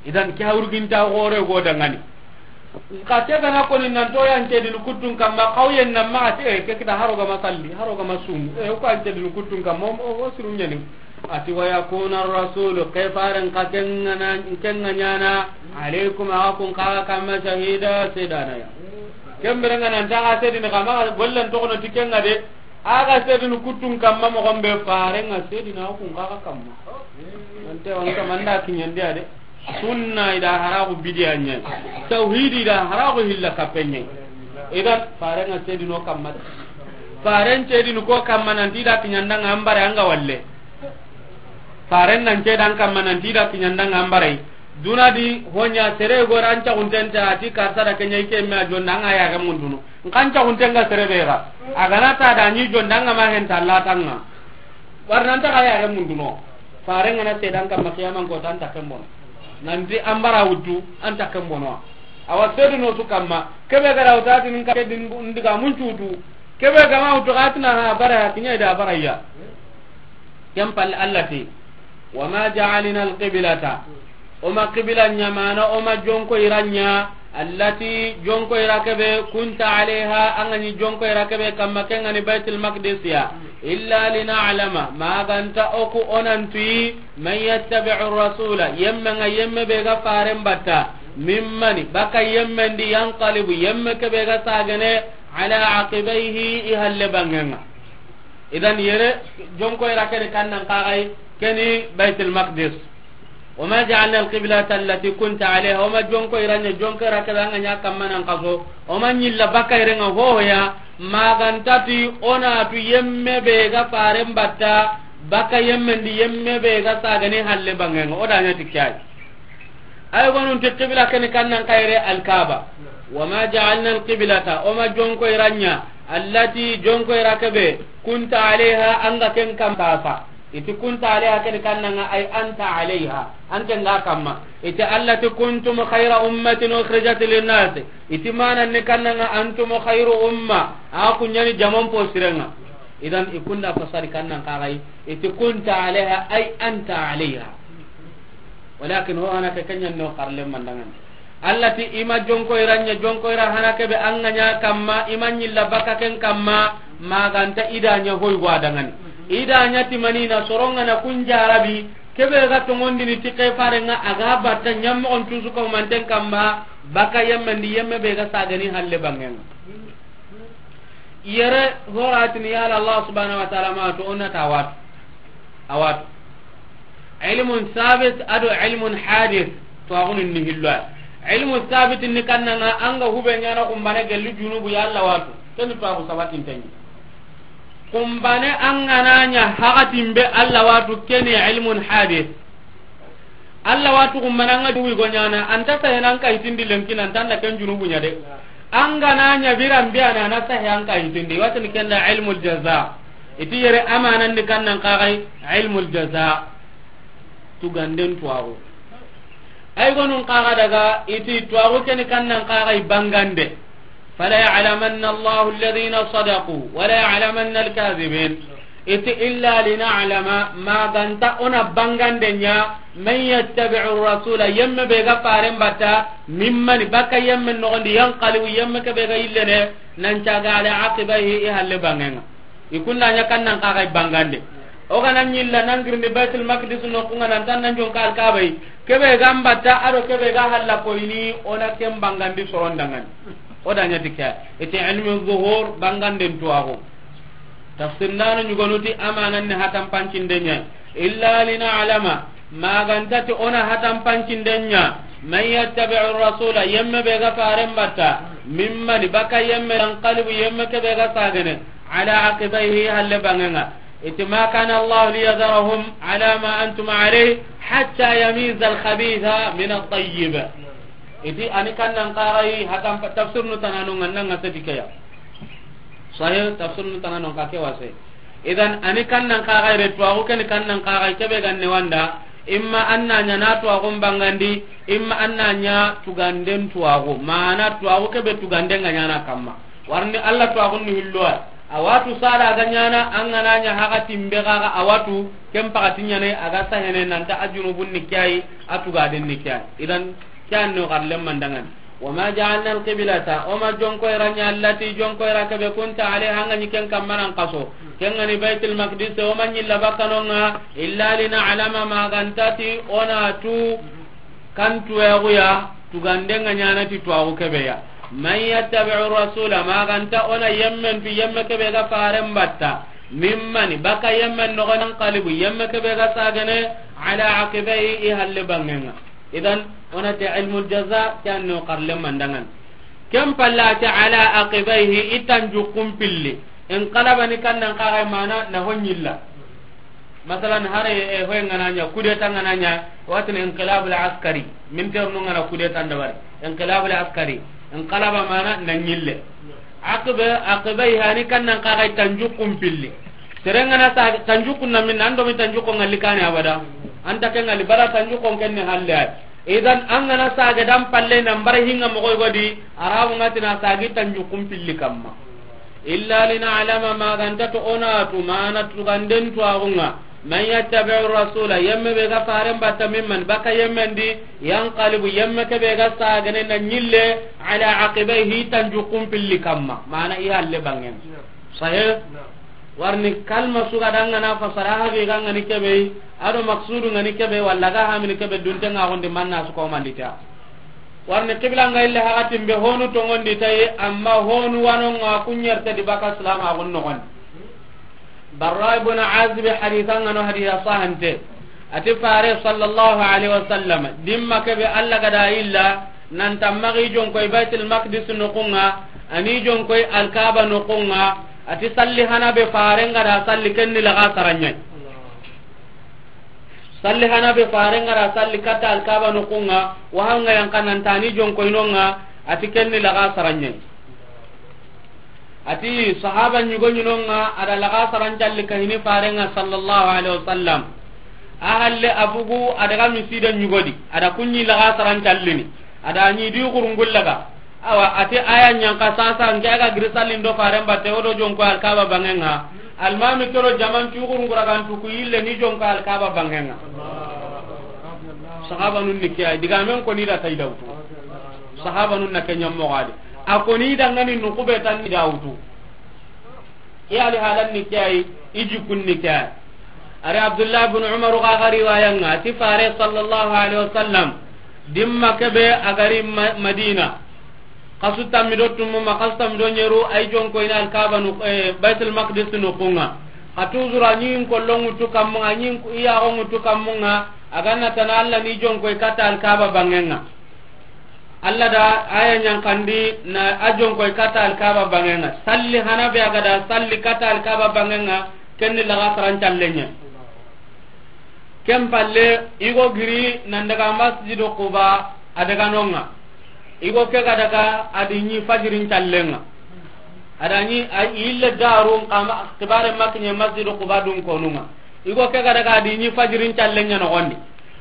Idan ke urugenta xore go da ŋa ni. Ka ke ga na ko ni nan to yan cedini kuttun kamma, xawyen nan ma a ti, eh, ke kita haro ga ma salli, haro ga ma sumu. Eh, ko an cedini kuttun kamma, o, o, o siru ɲa ni. A ti wa yakuna ar-rasulu, ke faren xa ken ŋa na, ken ŋa ɲa na, alaykum, a ga kun xa ga kamma, shahida, sedana ya. Ken bire ŋa nan ta ga sedini xa ma gollen to kono ti ken ŋa de. A ga sedini kuttun kamma moxon be, faren ŋa sedina kun xa ga kamma. Ante wan kamma n da kiɲandi a de. Sunna i da haraxu bidiya ɲa. Tawhidi i da haraxu hilla kappe ɲa. Idan faren ŋa sedino kamma de. Faren cedini ko kamma nanti i da kiɲanda ŋa an bara an ga walle. Faren nan cedan kamma nanti i da kiɲanda ŋa an bara. Duna di ho ɲa sere go ran ta kuntenta a ti karsa da ke ɲa i ke me a jonda ŋa ya ga munduno. N kan caxunten ga sere be ga, a ga na ta da ɲi jonda ŋa ma hen ta latan ŋa. War nan ta ga ya ga munduno. Faren ŋa na sedan kamma qiyaman koto an ta ken bono. Nanti an bara wuttu an ta ken bono. Awa sedino su kamma, kebe ga ra wuta ti n ka din ndiga mun cutu. Kebe ga ma wuttu ga ti na ha bara ya kiɲa i da bara ya. Ken palle Allah ti. Wa ma ja'alna al-qiblata, o ma qibla ɲa, mana o ma jonko ira ɲa, allati, jonko ira kebe, kunta alayha, an ga ɲi jonko ira kebe kamma, ken ga ni Baytul Maqdis ya, illa lina'lama, ma ga nta o ku o nan tuyi, man yattabi'u rasula, yemme nga yemme be ga faren batta, mimman, baka yemme ndi, yanqalibu, yemme kebe ga sagene, ala aqibayhi, i halle bangenga. Idan yere jonko ira keni kannan kagai, keni Baytul Maqdis. Wa ma ja'alna al-qiblata allati kunta alayha, o ma jonko ira ɲa, jonko ira kebe an ga ɲa kamma nan kaso, o ma ɲilla baka irenga hohoya, ma ga nta ti o na tu yemme be ga faren batta, baka yemme ndi yemme be ga sagani halle bangenga, o da ɲa ti kay. Ay gonun ti qibla keni kannan kayre al-Kaaba. Wa ma ja'alna al-qiblata, o ma jonko ira ɲa, allati, jonko ira kebe, kunta alayha, an ga ken kamma sa. Iti kunta alayha keni kannanga ay anta alayha, an ken ga kamma. Iti allati kuntum khayra ummatin ukhrijat lin-nas. Iti manan ni kannanga antum khayru umma, a ku ɲani jaman po sirenga. Idan i kunda fasari kannan kagai, iti kunta alayha ay anta alayha. Walakin ho hana ke kenya no karle mandangan. Allati i ma jonko ira ɲa, jonko ira hana kebe an ga ɲa kamma, i ma ɲilla baka ken kamma, ma ga nta i da ɲa hoy gwa dangani. I da ɲa ti manina soronga na kun jarabi, kebe ga tongondini ti ke farenga a ga batta ɲammo on tusu ko manten kamma, baka yemme ndi yemme be ga sagani halle bangenga. Yere horatini yala Allah subhanahu wa ta'ala ma to onna tawat. Awat. Ilmun sabit ado ilmun hadith. To agunun ni hillo. Ilmu sabit ni kannanga an ga hube ɲana kumbane gelli junubu ya Allah watu. Keni to agu sabatin tanyi. Kumbane an ga na ɲa hakatin be Allah watu keni ilmun hadith. Allah watu kumbane an ga duwi go ɲana, anta sahe nan ka hitindi lenki nan tanda ken junubu ɲa de. An ga na ɲa biran biya na na sahe an ka hitindi. Watini kenda ilmul jaza. Iti yere amanan ni kannan kagai ilmul jaza. Tuganden tuwaxu. Ay gonun kaga daga iti tuwaxu keni kannan kagai bangande. Fala ya'lamanna Allahu alladhina sadaqu, wala ya'lamanna al-kadhibin. Iti illa lina'lama, ma ga nta o na bangande ɲa, man yattabi'u rasula, yemme be ga faren batta, mimman, baka yemme nogondi, yanqalibu, yemme kebe ga yillene, nan caga ala aqibayhi, i halle bangenga. I kunda ɲa kannan kagai bangande. O ga na ɲilla nan girni Baitul Maqdis no kunga nan tan nan jonka Alkaaba yi. Kebe ga mbatta ado kebe ga halla koyini o na ken bangandi soron dangani. O da ɲa ti ke. Iti ilmu zuhur banganden tuwaxu. Tafsir ndano ɲugonuti amanan ni hatan pancinde ɲa. Illa lina'lama, ma ga nta ti o na hatan pancinden ɲa, man yattabi'u rasula, yemme be ga faren batta, mimman, baka yemme, yanqalibu, yemme kebe ga sagene, ala aqibayhi, halle bangenga. Iti ma kana Allah liyadharahum ala ma antum alayhi hatta yamiza al-khabitha min at-tayyib. Iti ani kannan kagai hatan pa-, tafsir nu tanano nganna nga sedikeya. Sahih tafsir nu tanano ka ke wase. Idan ani kannan kagai re tuwaxu keni kannan kagai kebe ganne wanda, imma an na ɲa na tuwaxun bangandi, imma an na ɲa tuganden tuwaxu, mana tuwaxu kebe tuganden ga ɲana kamma. Warni Allah tuwaxun ni hillowa. A watu sara ga ɲana an ga na ɲa hakatin be gaga a watu ken pakati ɲane a ga sahene nanta a junubun ni kiyayi a tugaden ni kiyayi. Idan kiyan no garle mandangan. Wa ma ja'alna al-qiblata, o ma jonko ira ɲa allati jonko ira kebe kunta alayha an ga ɲi ken kamma nan kaso. Ken ga ni Baitul Maqdis, o ma ɲilla bakanonga, illa lina'lama ma ga nta ti o na tu kan tuwaxu ya, tuganden ga ɲana ti tuwaxu kebe ya. Man yattabi'u rasula, ma ga nta o na yemmen tu yemme kebe ga faren batta. Mimman, baka yemmen nogondi yanqalibu, yemme kebe ga sagene, ala aqibayhi i halle bangenga. Idan, o na ti ilmul jaza, kiyan no karle mandangan. Ken palla ti ala aqibayhi, i tanjukun pilli. Inqalaba ni kannan kagai mana na ho ɲilla. Masalan, hare, eh, hoy ngana ɲa, kudeta ngana ɲa, watin inqilabul askari. Militaire nu ngana kudeta ndabari. Inqilabul askari. Inqalaba mana na ɲille. Aqiba, aqibayha ni kannan kagai tanjukun pilli. Sere ngana sa tanjukun na min, an do mi tanjukun ngalli kane abada. Anta ke ngalli bara tanjukun kenne halle ay. Idan an gana sage dan palle nan bare hinga mogoy godi, Arabu nga ti na sagi tanjukun pilli kamma. Illa lina'lama, ma ga nta to o na tu mana tuganden tuwaxunga. Man yattabi'u rasula, yemme be ga faren batta, mimman, baka yemmen di, yanqalibu, yemme ke be ga sagene na ɲille, ala aqibaihi, tanjuxun pilli kamma. Mana i halle bangen. Sahih? Warni kalma su ga dangana fasara haqi ga ngani kebe, ado maksudu ngani kebe, walla ga hamini kebe, dunte nga gondi manna su ko mandita. Warni qibla nga ille hakatin be honu tongondi tayi, amma honu wano nga kunyerte di baka salama gon nogondi. Barra ibn Azib haditha nga no haditha sahante. Ati fare sallallahu alaihi wasallam, dimma kebe Alla gada illa, nan tamma gi jonkoy Baitul Maqdis noxunga, ani jonkoy Alkaba noxunga, ati salli hana be fare nga da salli kenni laga saranyai. Salli hana be fare nga da salli katta Alkaba noxunga, wahanga yanka nan tani jonkoy nonga, ati kenni laga saranyai. Ati sahaba ɲugo ɲinonga, ada laga sarancalli kahini farenga sallallahu alaihi wasallam. A halle abugu adaga misida ɲugodi, ada kunyi laga sarancallini, ada ɲi di gurungullaga. Awa, ati aya ɲanka sasa, nke aga giri sallin do faren batte, odo jonko Alkaba bangenga. Almami kero jaman ki gurungura gantu ku yille ni jonko Alkaba bangenga. Sahaba nun ni kiya, diga men ko ni da tay dawtu. Sahaba nun na kenya mogadi. A ko ni dangani nu kube tan ni dawtu. Ke ali halan ni ke ay, i jikun ni ke ay. Ari Abdullah ibn Umar ga ga riwaya nga, ti fare sallallahu alaihi wasallam, dimma kebe agari Ma-, Madina. Kasu tammi do tumu ma, kasu tammi do nyeru, ay jonko ina Alkaba nu, eh, Baitul Maqdis noxunga. Ka tuzura nyin ko longu tu kamunga, nyin ku iya gongu tu kamunga, aganna tana Alla ni jonko kata Alkaba bangenga. Alla da aya ɲankandi na a jonkoy kata Alkaba bangenga. Salli hana be aga da salli kata Alkaba bangenga, kenni laga sarancallenya. Ken palle, igo giri nan daga Masjidu Quba, a daga nonga. Igo ke ga daga adi ɲi fajirin callenga. Ada ɲi a ille daru kama kibare makne Masjidu Quba dun konunga. Igo ke ga daga adi ɲi fajirin callenya nogondi.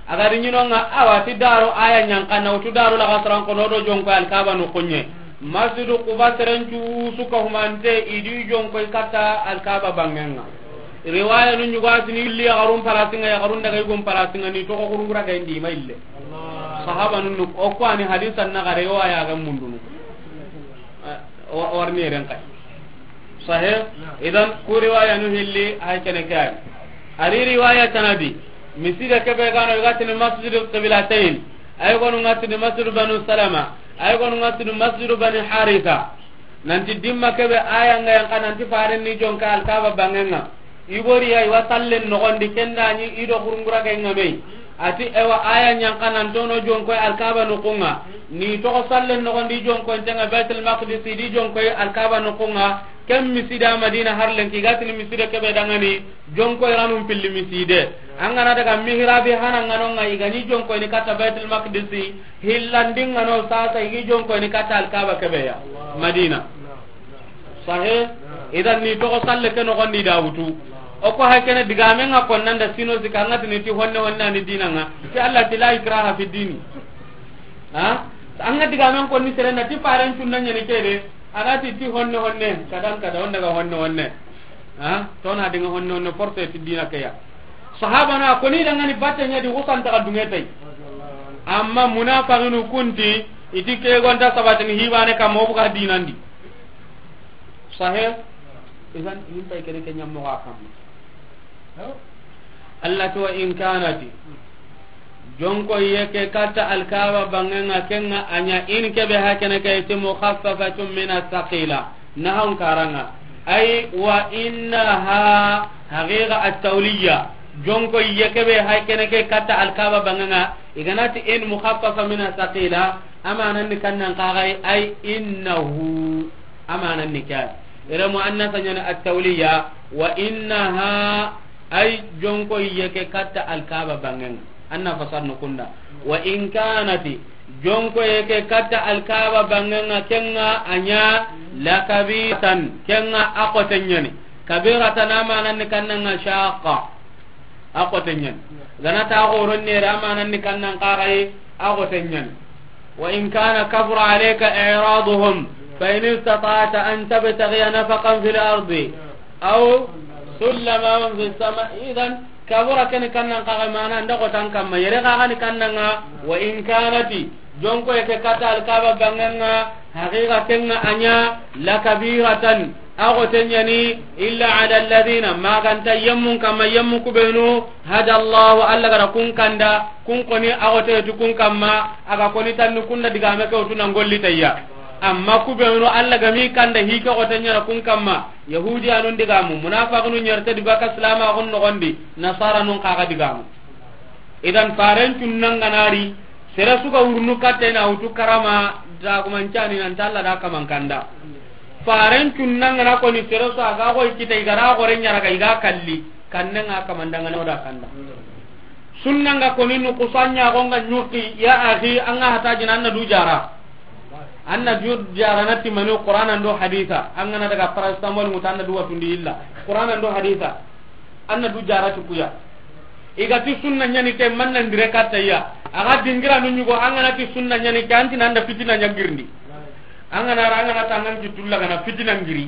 Agari ɲinonga awa ti daro aya ɲanka na utu daro laga saran kono do jonko Alkaba no konye. Masjidu Quba serencu suka humante idi jonko kata Alkaba bangenga. Riwaya nu ɲugo asini illi ya garun palasinga, ya garun daga igon palasinga ni to ko kurungura ga indi ma ille. Sahaba nun o ko ani hadisan na gare riwaya ga mundunu. Eh, wa-, warni ren kay. Sahih? Idan, ku riwaya nu hilli, hay kene kay. Ari riwaya tanadi. Misida kebe gano igatini Masjidul Qiblatayn. Ay gonu ngatini Masjidu Banu Salama. Ay gonu ngatini Masjidu Bani Haritha. Nanti dimma kebe aya nga yanka nanti faren ni jonka Alkaba bangenga. Igoriya iwa sallen nogondi kendani ido kurungura ga inga mei. Ati ewa aya ɲanka nan tono jonkoy Alkaba noxunga. Ni toxo sallen nogondi jonkoy ntenga Baitul Maqdis di jonkoy Alkaba noxunga. Ken misida Madina harlen ki gatini miside kebe dangani jonkoy ranun pilli miside. Angana daga mihrabi hana nganonga igani jonkoy ni kata Baitul Maqdis. Hillandinga no sasa igi jonkoy ni kata Alkaba kebe ya Madina. Sahih? Idan ni toxo salle ke nogondi da wutu. O ko hay kene digame nga konnanda sino sika nga tini ti honne honne ani dinanga. Ti Allah ti la ikraha fi dini. Ha? Anga digame ko ni serena ti paren tunna nyani kede. Agati ti honne honne. Kadan kada honne ga honne honne. Ha? Tona dinga honne honne forte ti dina ke ya. Sahaba na ko ni dangani batte nya di wusan ta dunge tay. Amma munafiqinu kunti iti ke gonta sabatini hibane kam mo buga dinandi. Sahih? Idan, in pay kene ke ɲammo ga kam. Allah to in kanati. Jonko yeke kata Alkaba bangenga kenga anya in kebe hakene ke ti mukhaffafatun min as-saqila. Nahon karanga. Ay wa innaha haqiqa at-tawliya. Jonko yeke be hakene ke kata Alkaba bangenga. Iganati in mukhaffafa min as-saqila. Amanan ni kannan kagai ay innahu. Amanan ni kya. Ira muannasa nyani at-tawliya, wa innaha ay jonko yeke katta Alkaba bangenga. Anna fasar no kunda. Wa in kanati jonko yeke katta Alkaba bangenga kenga anya lakabiratan kenga akotenyani. Kabiratan amanan ni kannanga shaqa. Akotenyan. Gana ta goron nere amanan ni kannan kagai akotenyan. وإن كان كبر عليك إعراضهم فإن استطعت أن تبتغي نفقا في الأرض أو سلما في السماء. إذن Kabura ken ni kannan kaga mana nda xotan kamma, yere kaga ni kannanga. Wa in kanati, jonko yake kata Alkaba banganga, haqiqa kenga anya, la kabiratan, a xote ɲani, illa ala alladhina, maganta yemmun kamma, yemmu kubenu, hada Allahu, Allah gara kun kanda, kun koni a xote tu kun kamma, aga koni tanni kunna digame ke utu nan golli tayya. Amma kubenu Allah gami kanda hike xote ɲana kun kamma, Yahudiyanun digamu, munafaqinu ɲerte di baka silamaxun noxondi, nasaranun kaga digamu. Idan faren cunnanganari, sere suga wurnu katte na wutu karama, dagumancani nan talla da kaman kanda. Faren cunnangana koni sere su aga xoy kita igara gore ɲaraga iga kalli, kannenga kamandangana oda kanda. Sunnanga koni nu kusanya gonga nyuki, ya akhi, anga hata jina anna du jara. Anna du jara na timani Qur'an ando haditha. Angana daga paracetamol muta anna du watundi illa. Qur'an ando haditha. Anna du jara tukuya. Igati sunna ɲani ke manna ndire katta ya. Aga dingira nu nyugo angana ti sunna ɲani ke anti nanda fitina ɲagirndi. Angana ra angana tangan ki tulla gana fitina ngiri.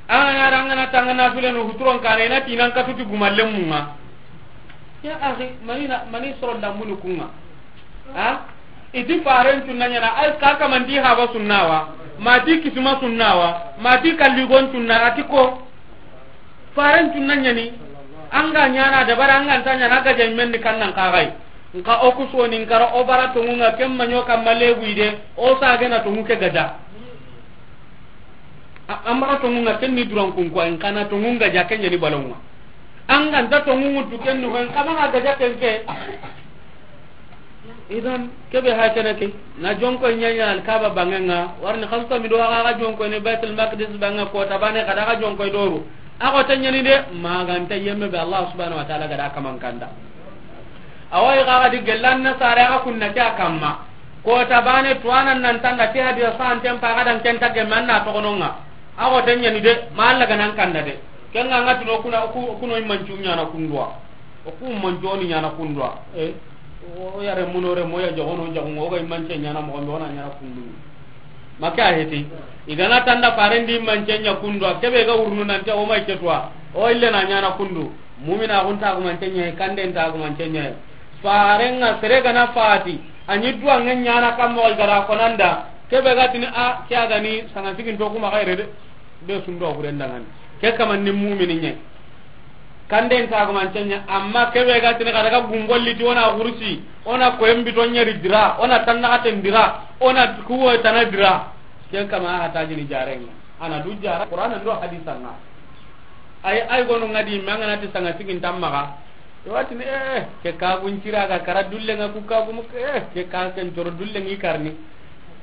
Angana ra angana tangana file no huturon kana ina tinan katuti gumallemunga. Ya akhi, manina, mani soro dambunu kunga. Ha? Iti faren tunna ɲana, ay kaka manti haba sunnawa, mati kisima sunnawa, mati kalligon tunna, ati ko. Faren tunna ɲani, anga ɲana dabara, anga nta ɲana gaja men ni kannan kagai. Nka o kusoni nkara o bara tongunga kemma nyoka malebu ide, o sagena tongu ke gaja. A-, an maxa tongunga ken ni duran kun ko, in kana tongunga ja ken ni balonga. An ga nta tongungu tu ken ni ko, in kama ga ja ken ke. Idan, kebe ha kene ke, na jonko ɲaɲa Alkaba bangenga, warni xasu mi do aga ga jonko ni Baitul Maqdis banga ko tabane kada ga jonko doru. A ko tanyani de, maganta yemme be Allah subhanahu wa ta'ala gada kaman kanda. Awai ga ga di gellan na sare aga kunna kya kamma. Ko tabane tuwana nan tanda ke hadira santen pa gadan ken tagge manna to gononga. Ago tanya ni de, ma Allah ganan kanda de. Kenga ngati no kuna ku-, kuno imancu nyana kundwa. O ku manjoni nyana kundwa. Eh. O yare muno re moya jagono jagongo ga imance nyana mo gombe ona nyana kundu. Maka heti. Igana tanda parendi imance nya kundwa. Kebe ga urnu nan ta o mai ketwa. O ille na nyana kundu. Mumina gunta gumance ɲa, kanden ta gumance ɲa. Farenga sere gana fati, anyi duwa ngen ɲana kammo gara konanda, kebe gatini a, ke agani sanga sigin to kuma gaire de. Be sundo gurenda ngani. Ke kaman ni mumini ɲa. Kanden ta gumance ɲa, amma kebe gatini kada ga gungolli ti ona gursi, ona koyembi to ɲeri dira, ona tanna gaten dira, ona kuwo tana dira. Ke kama hata jini jarenga. Ana du jara Qur'an ndo hadisan na. Ay, ay gonu ngadi mangana ti sanga sigin tammaga. Watini, eh, ke kagun cira ga kara dulle nga ku kagu mu, eh, ke ka ken toro dulle ngi karni.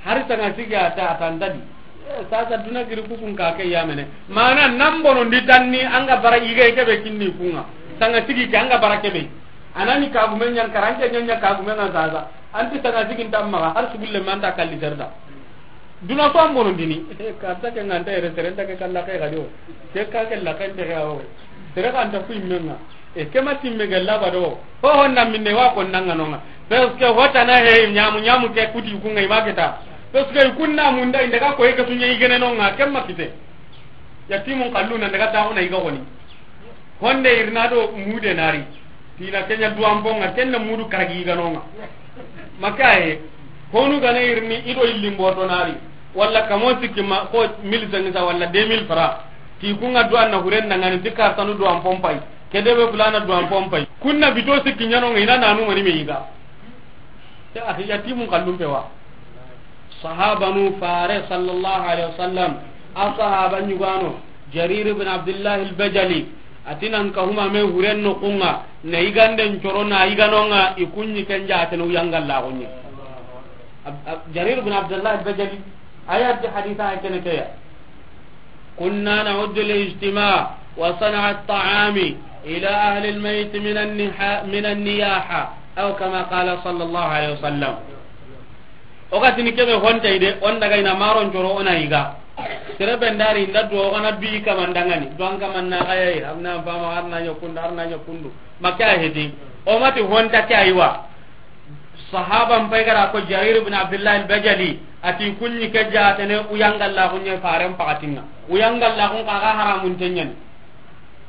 Hari sanga sigi ata, ata ndadi. Eh, sasa duna giri kukun ka ke yamene. Mana nambono ndi tanni anga bara ige kebe kinni kunga. Sanga sigi ke anga bara kebe. Anani kagumen ɲan kara, anke ɲan ɲan kagumen ŋa sasa. Anti sanga sigin tammaga, har sugulle manta kalli serda. Duna so an bonondini. Karta ke nganta yere sere nta ke kalla ke gadi o. Ke ka ke la kan te ga o. Sere kan ta ku immenga. E ke ma timme gella ba do. Ho honna minne wa ko nanga nonga. Parce que hota na he nyamu nyamu ke kuti ku ngai maketa. Parce que kunna munda inda ka ko e ka tunye igene nonga ke ma kite. Yatimun kalluna daga ta ona iga goni. Honde irna do mude nari. Tina kenya duwamponga, kenya mudu karagi ganonga. Makaye, honu gane irni ido illimboto nari. Walla kamo sikki ma, ko mille cinq cents walla deux mille francs. Ti kunga duwan na huren dangani, ti kartanu duwampon pay. Kedebe fulana duwampon pay. Kunna bito sikki nyanonga ina nanu mani me iga. Te a yatimun kallum pewa. Sahabanu fare sallallahu alaihi wasallam, a sahaba nyugano, Jarir ibn Abdullah al-Bajali, atinan ka huma me huren no kunga, na iganden coro na iganonga, ikunyi kenja atenu yangalla gonye. Ab-, ab-, Jarir ibn Abdullah al-Bajali, ayat haditha kene keya. كنا نعد الاجتماع وصنع الطعام إلى أهل الميت من النحا-، من النياحة، أو كما قال صلى الله عليه وسلم. O ga tini kebe honta ide, on daga ina maron coro ona iga. Sere bendari inda do gana bi kamandangani. Do an kamanna gaye, amna fama arna nyakundu, arna nyakundu. Makya hedi. O mati honta kya iwa. Sahaban pay gara ko Jarir ibn Abdullah al-Bajali, ati kunyi ke jatene uyangalla kunye faren pakatinga. Uyangalla kun kaga haramun tenyani.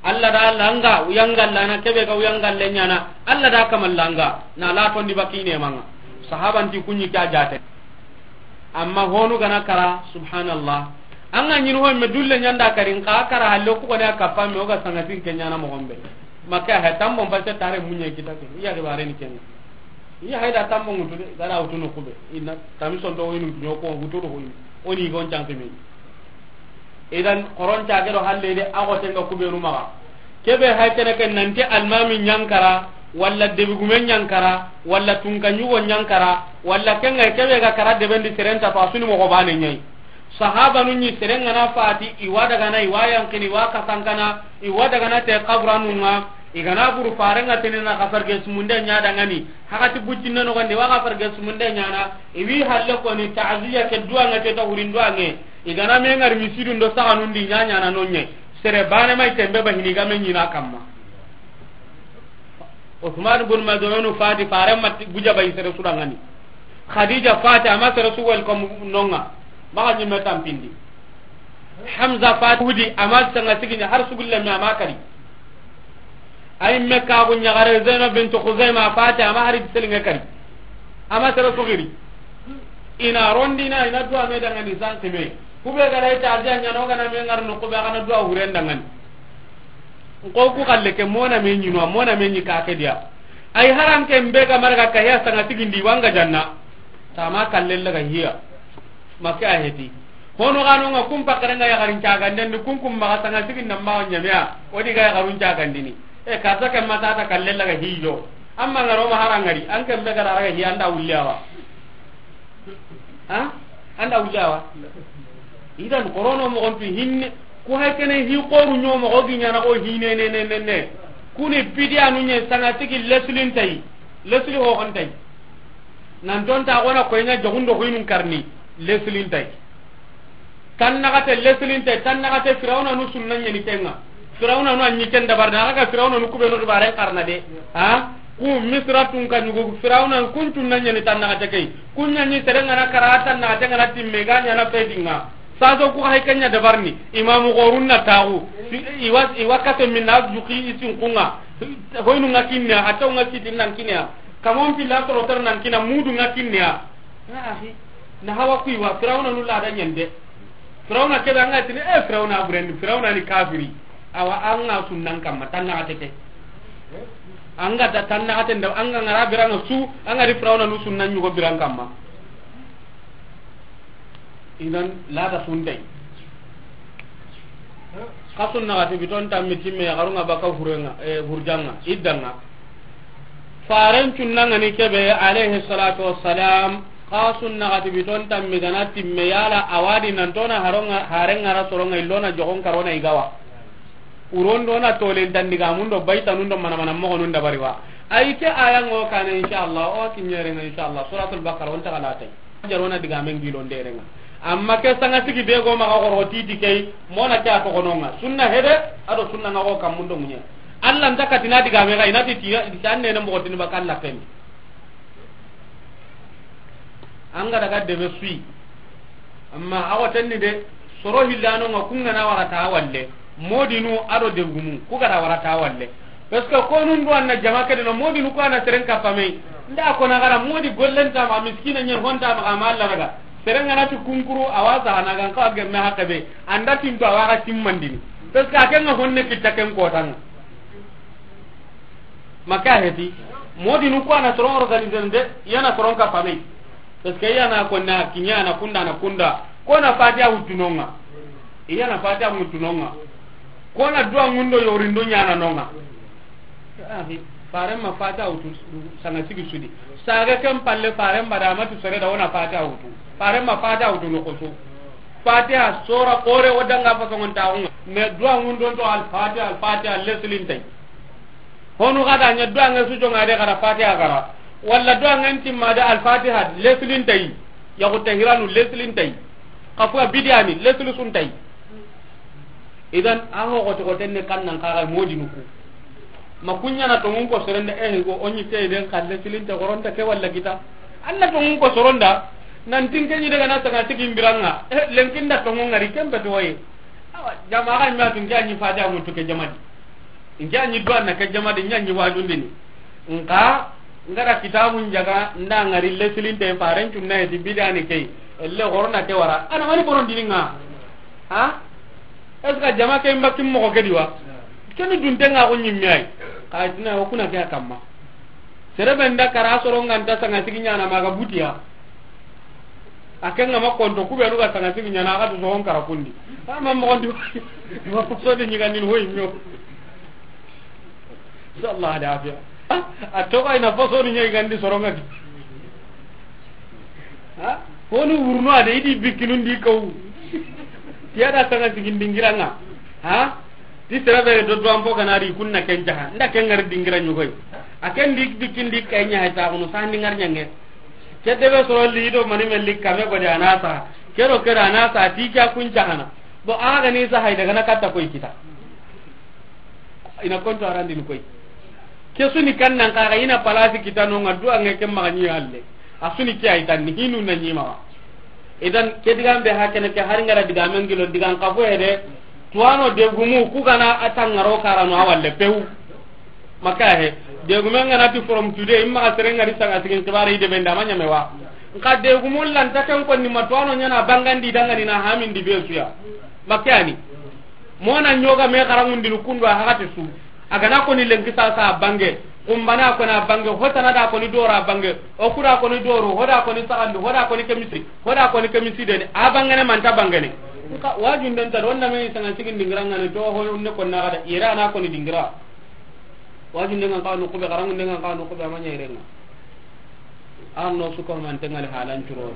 Alla da langa, uyangalla na kebe ga uyangalle ɲana. Alla da kamallanga, na la tondi bakine manga. Sahabanti kunyi kya jate. Amma honu gana kara, subhanallah. An ga ɲini ho me dulle ɲanda karin ka kara halle ku gone a kappa me o ga sangatin ke ɲana mo gombe. Makka he tambo mbasse tare munye kita ke. Iya ke bare ni ken. Iya hayda tambo ngutu de, gara utu no kube. Ina tamison do winu nyoko ngutu do winu. Oni gon chanke me. Idan koron cage do halle de a gotenga kubenu maxa. Kebe hay kene ken nanti almami ɲankara, walla debigume ɲankara, walla tunka ɲugo ɲankara, walla kenga kebe ga kara debendi serenta to asuni mogo bane ɲai. Sahabanu ɲi serengana fati, iwa dagana, iwa yankini, iwa kasankana, iwa dagana te kaburanunga, igana buru farenga tenina kafarge sumunde ɲa dangani, hakati buccinne nogondi wa kafarge sumunde ɲana, iwi halle koni ta'ziya ke duwange ke ta hurin duwange. Igana me ngari misidun do saganun di ɲaɲana no ɲe. Sere bane mai tembe ba hini game ɲina kamma. Usman bun Maz'un fati fare matti guja bai sere sudangani. Khadija fati ama sere su welcome nonga. Maga ɲimme tampindi. Hamza fati hudi ama sanga sigini har sugulle me ama kari. Ay me ka gu ɲagare Zainab bint Khuzaima fati ama hari selinge kari. Ama sere sugiri. Ina rondina, ina duwa me dangani san kime. Kube gara ita aziya ɲano gana me ngar no kube gana duwa huren dangani. Nko ku kalle ke mona me ɲino, mona me ɲi ka ke dia. Ay haran ke mbe ga marga ka ya sanga tigindi wanga janna. Tama kalle laga hiya. Make a heti. Hono gano nga kum pakare nga yagarin caganden di kun kum maga sanga sigin nan maga ɲamea. Odi ga yagarun cagandini. E karta ke mata ta kalle laga hiyo. Amma ngaro ma harangari, an ke mbe gara raga hi anda wulli awa. Ha? Anda wulli awa. Idan korono mo gontu hinne, ko hay kene hi qoru ɲomo go ginya na go hine ne ne ne ne. Kuni bidiya nu ɲe sanga tigi leslin tay. Lesli ho hon tay. Nan ton ta gona ko nya jogundo ko inun karni. Leslin tay. Tan nagate leslinte, tan nagate Firawna nu sunna ɲeni kenga. Firawna nu anyi ken dabar da, aga Firawna nu kube no dubaren karna de. Ha? Ku Misra tun ka ɲugo Firawna kun tun na ɲeni tan nagate kei. Kun ɲani serenga na kara tan nagate ngana timme ga ɲana fedinga. Saso ku hay kenya dabarni. Imamu gorun na tagu. Iwa, iwa kase minna juki isin kunga. Hoynu nga kinne, ataw nga kitin nan kinne. Kamon pila toro tar nan kina mudu nga kinne. Ya akhi, na hawa kuiwa, Firawna nu lada ɲende. Firawna kebe anga tini, eh, Firawna burendi, Firawna ni kafiri. Awa, anga sunnan kamma, tan nagate ke. Anga ta tan nagate nda, anga ngara biranga su, anga di Firawna nu sunnan ɲugo biran kamma. Idan, lada suntai. Xa sunna gati biton tammi timme ya garunga baka hurenga, eh, hurjanga, iddanga. Faren cunnanga ni kebe, alayhi salatu wassalam, xa sunna gati biton tammi gana timme yala awadi nan tona haronga, harenga ra soronga illona jogon karona igawa. Urondo na tolen tandiga mundo baita nundo mana mana mogo nunda bariwa. Ay ke aya ngo kana inshallah, o kinyere nga inshallah, Suratul Baqarah on ta kala tay. Jarona diga men gilo nderenga. Amma ke sanga sigi be go maga goro titi kei, mona ke a togononga. Sunna hede, ado sunna nga go kammundo munye. Allah nta katina diga me ga, inati ti, ti anne na mo tini bakalla pen. Anga daga debe sui. Amma awa tenni de, soro hillano nga kunga na warata walle. Modinu ado degumu, ku gara warata walle. Parce que konun do anna jama kede no modinu ko ana seren kapame. Nda ko na gara modi gollenta ma miskina nyen honta ma amalla daga. Serenga na ti kunkuru awaza na gan ka gemme hakabe. Anda tinto awaga timmandini. Parce que akenga honne kitta ken kotanga. Maka heti. Modinu ko ana soron organiser nde, yana soron kapame. Parce que yana ko na kinya na kunda na kunda. Ko na fatiha wutunonga. Iya na fatiha wutunonga. Ko na duwa ngundo yorindo nyana nonga. Ahi, faren ma fatiha wutu sanga sigi sudi. Saga ken palle faren bada matu sere da wona fatiha wutu. Faren ma fatiha wutu no koso. Fatiha sora kore wodanga fasongon taunga. Me duwa ngundo to al fatiha, al fatiha leslin tay. Honu gada nya duwa nge su jonga de gara fatiha gara. Walla duwa nge timma de al fatiha leslin tay. Ya ko tahiranu leslin tay. Kafuwa bidiani leslu sun tay. Idan, a ho gote gote ne kan nan kaga modinu ku. Ma kunya na tongun ko serende, eh, go onyi te den kalle silinte goronta ke walla kita. Anna tongun ko soronda, nan tinke ni daga na taga tigi mbiranga. Eh, lenkinda tongun ngari kembe to waye. Awa, jama'a ma tunke anyi fatiha mutu ke jamadi. Nke a ɲi duwa na ke jama di, ɲa ɲi wajundini. Nka, n ga da kitabun jaga, n da ŋari lesilinte, faren cunna heti bidani kei. Elle horona ke wara. A na mani boron dini ŋa. Ha? Est-ce que jama ke mba kim moxo ke di wa? Keni dunte ŋa ko ɲimme ay. Ka tina o kuna ke a kamma. Sere be n da kara soro ŋa nta sanga sigi ɲana maga butiya. A ken ŋa ma konto, ku be nu ga sanga sigi ɲana, a ga tu soxon kara kundi. A ma moxon di, ma foso di ɲigandini hoyi ɲo. Sallallahu alaihi wasallam. A to ga ina foso ni ɲigandi soron ŋa di. Ha? Honu wurno a de, i di bikkinun di kaw. Tiya da sanga sigi dingira ŋa. Ha? Ti sere be do do ampo ga na ri kunna ken jaha. N da ken ŋari dingira ɲugoy. A ken di bikkin di kay ɲa hay ta kunu sandi ŋar ɲange. Ke debe soro li do mani me li kame godi a na sa. Kero kero a na sa ti kya kun jahana. Bo a ga ni sa hay daga na katta koy kita. Ina konto arandini koy. Ke suni kan nan kaga ina palasi kita no ŋa duwa ŋe ke maga ɲi halle. A suni ke ay tan ni hinu na ɲi mawa. Idan ke digan be hakene ke hari ŋa ra digamen gilo digan kafo hede. Tuwano degumu ku ga na a tangaro karano a walle pew. Maka he, degumen ŋa na ti from today, imma ga sere ŋa ri sanga sigin kibare ide benda ma ɲame wa. Nka degumun lanta ken konni ma tuwano ɲana bangandi dangani na hamindi be suya. Maka ni. Mona ɲoga me xarangundini kundu a hagati su. A ga na koni lenki sasa a bange. Kumbana koni a bange, hotana da koni dora a bange. Okura koni doro, hoda koni sagandu, hoda koni kemisi, hoda koni kemisi deni. A bangene manta bangene. Nka wajunden ta do, wanda me sanga sigin dingira ŋa ne to ho ne konna ga da ira na koni dingira. Wajunde ŋa n kawa nuxu be, xaranŋunde ŋa n kawa nuxu be, a ma ɲa yere ŋa. An no su ko man tengali halan curo.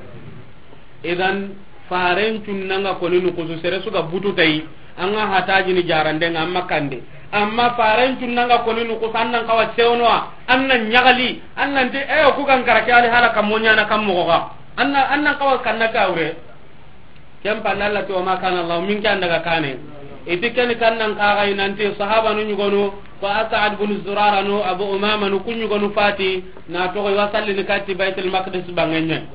Idan, faren cunna ŋa koni nuxusu, sere su ga butu tayi, an ŋa hatajini jarande ŋa, amma kande. Amma faren cunna ŋa koni nuxusu, an nan kawa sewnoa, an nan ɲagali, an nan ti, eh, ku gan kara ke ali hala kam mo ɲana kam moxo ga. An nan, an nan kawa kanna kawre. Ken palle Allah ti, "Wa ma kana Allah," min ke an daga kane. Iti ken kan nan kaga inanti sahabanu ɲugonu, ko As'ad bin Zurara no, Abu Umama no, ku ɲugonu fati, na toxo i wa sallini katti Baitul Maqdis bangenye.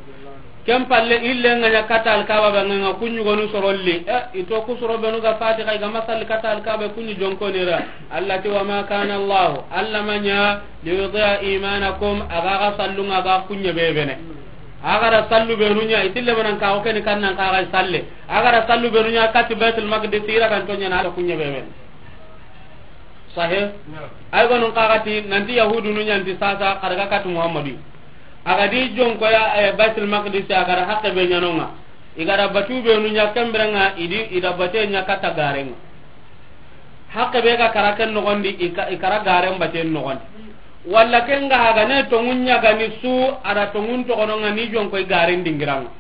Ken palle ille nga ɲa kata Alkaba bangenga, ku ɲugonu sorolli. Eh, ito ku soro benu ga fati, kay ga ma salli kata Alkaba, ku ɲi jonkonira. Allah ti, "Wa ma kana Allah," Allah ma ɲa, "li yudi'a imanakum," aga ga sallunga ga kunye bebene. Agara sallu benu ɲa, itille manan ka o keni kannan ka ga salle. Agara sallu benu ɲa kati Baitul Maqdis, ira kan tonya na ala kunye bebe. Sahih? Naam. Ay gonun kagati nanti Yahudu nu ɲanti sasa kadaga kati Muhammadu. Agadi jonko ya, eh, Baitul Maqdis, agara hakke be ɲanonga. Igara batu benu ɲa kemberenga, idi, ida bate ɲa kata garenga. Hakke be ga kara ken nogondi, i ka-, i kara garen baten nogondi. Walla ken ga haga ne tongun ɲagani su, ada tongun togono nga ni jonko i garen dingiranga.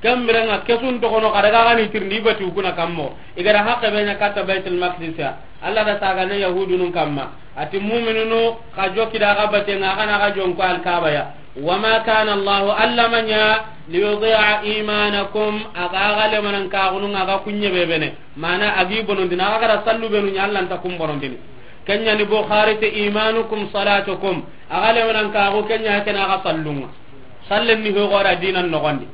Ken birenga kesun togono kada ga gani tirndi bati ukuna kammo. I gara hakke be ɲa kata Baitul Maqdis ya. Allah da saga ne Yahudunun kamma. Ati mu'minunu ka joki da ga batenga kana ga jonko Alkaba ya. Wa ma kana Allahu, Allah ma ɲa, li yudi'a imanakum, aga gale manan kagunun aga kunye bebene. Mana agi bonondini, aga gara sallu benu ɲa, Allah nta kun bonondini. Kenya ni Bukhari te, "Imanukum salatukum." Aga lewanan kago kenya kena aga sallunga. Sallen ni ho gora dinan nogondi.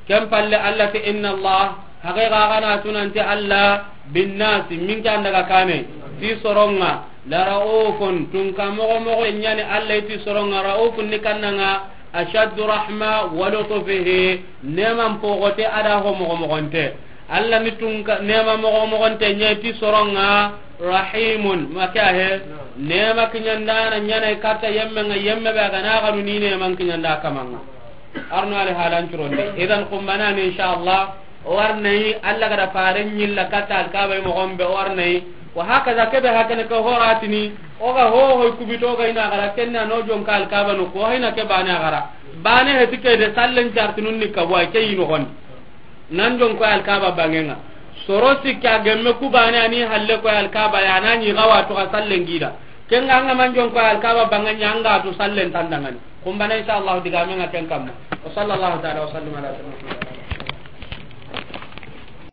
Ken palle Allah te, "Inna Allah," haqiqa gana tunanti Allah, "bin nasi," min kan daga kane, ti soronga, "la raufun," tun ka mogo mogo nyani Allah ti soronga, "raufun," ni kannanga, "ashaddu rahma wa lutfihi," neman pogote ada ho mogo mogonte. Allah ni tunka nema mogo mogonte ɲa ti soronga, rahimun, maka he. Nema kiɲandana ɲana kata yemme nga yemme be gana ganu ni neman kiɲanda kamanga. Arno ali halan curonde. Idan kumbana ni inshallah. O warnai Allah gada faren ɲilla kata Alkaba mo gombe o warnai. Wa hakaza kebe hakene ko horatini. O ga ho ho kubito ga ina gara kenna no jonka Alkaba no ko hina ke bane gara. Bane he tike de sallen chartinun ni ka wa ke yino gon. Nan jonko Alkaba bangenga. Soro sikka gemme ku bane ani halle ko Alkaba ya nani gawa to sallen gida. Kenga anga man jonko Alkaba banganya anga to sallen tandangani. Kumbana inshallah digamenga ken kamma. Wa sallallahu ta'ala wa sallam ala sayyidina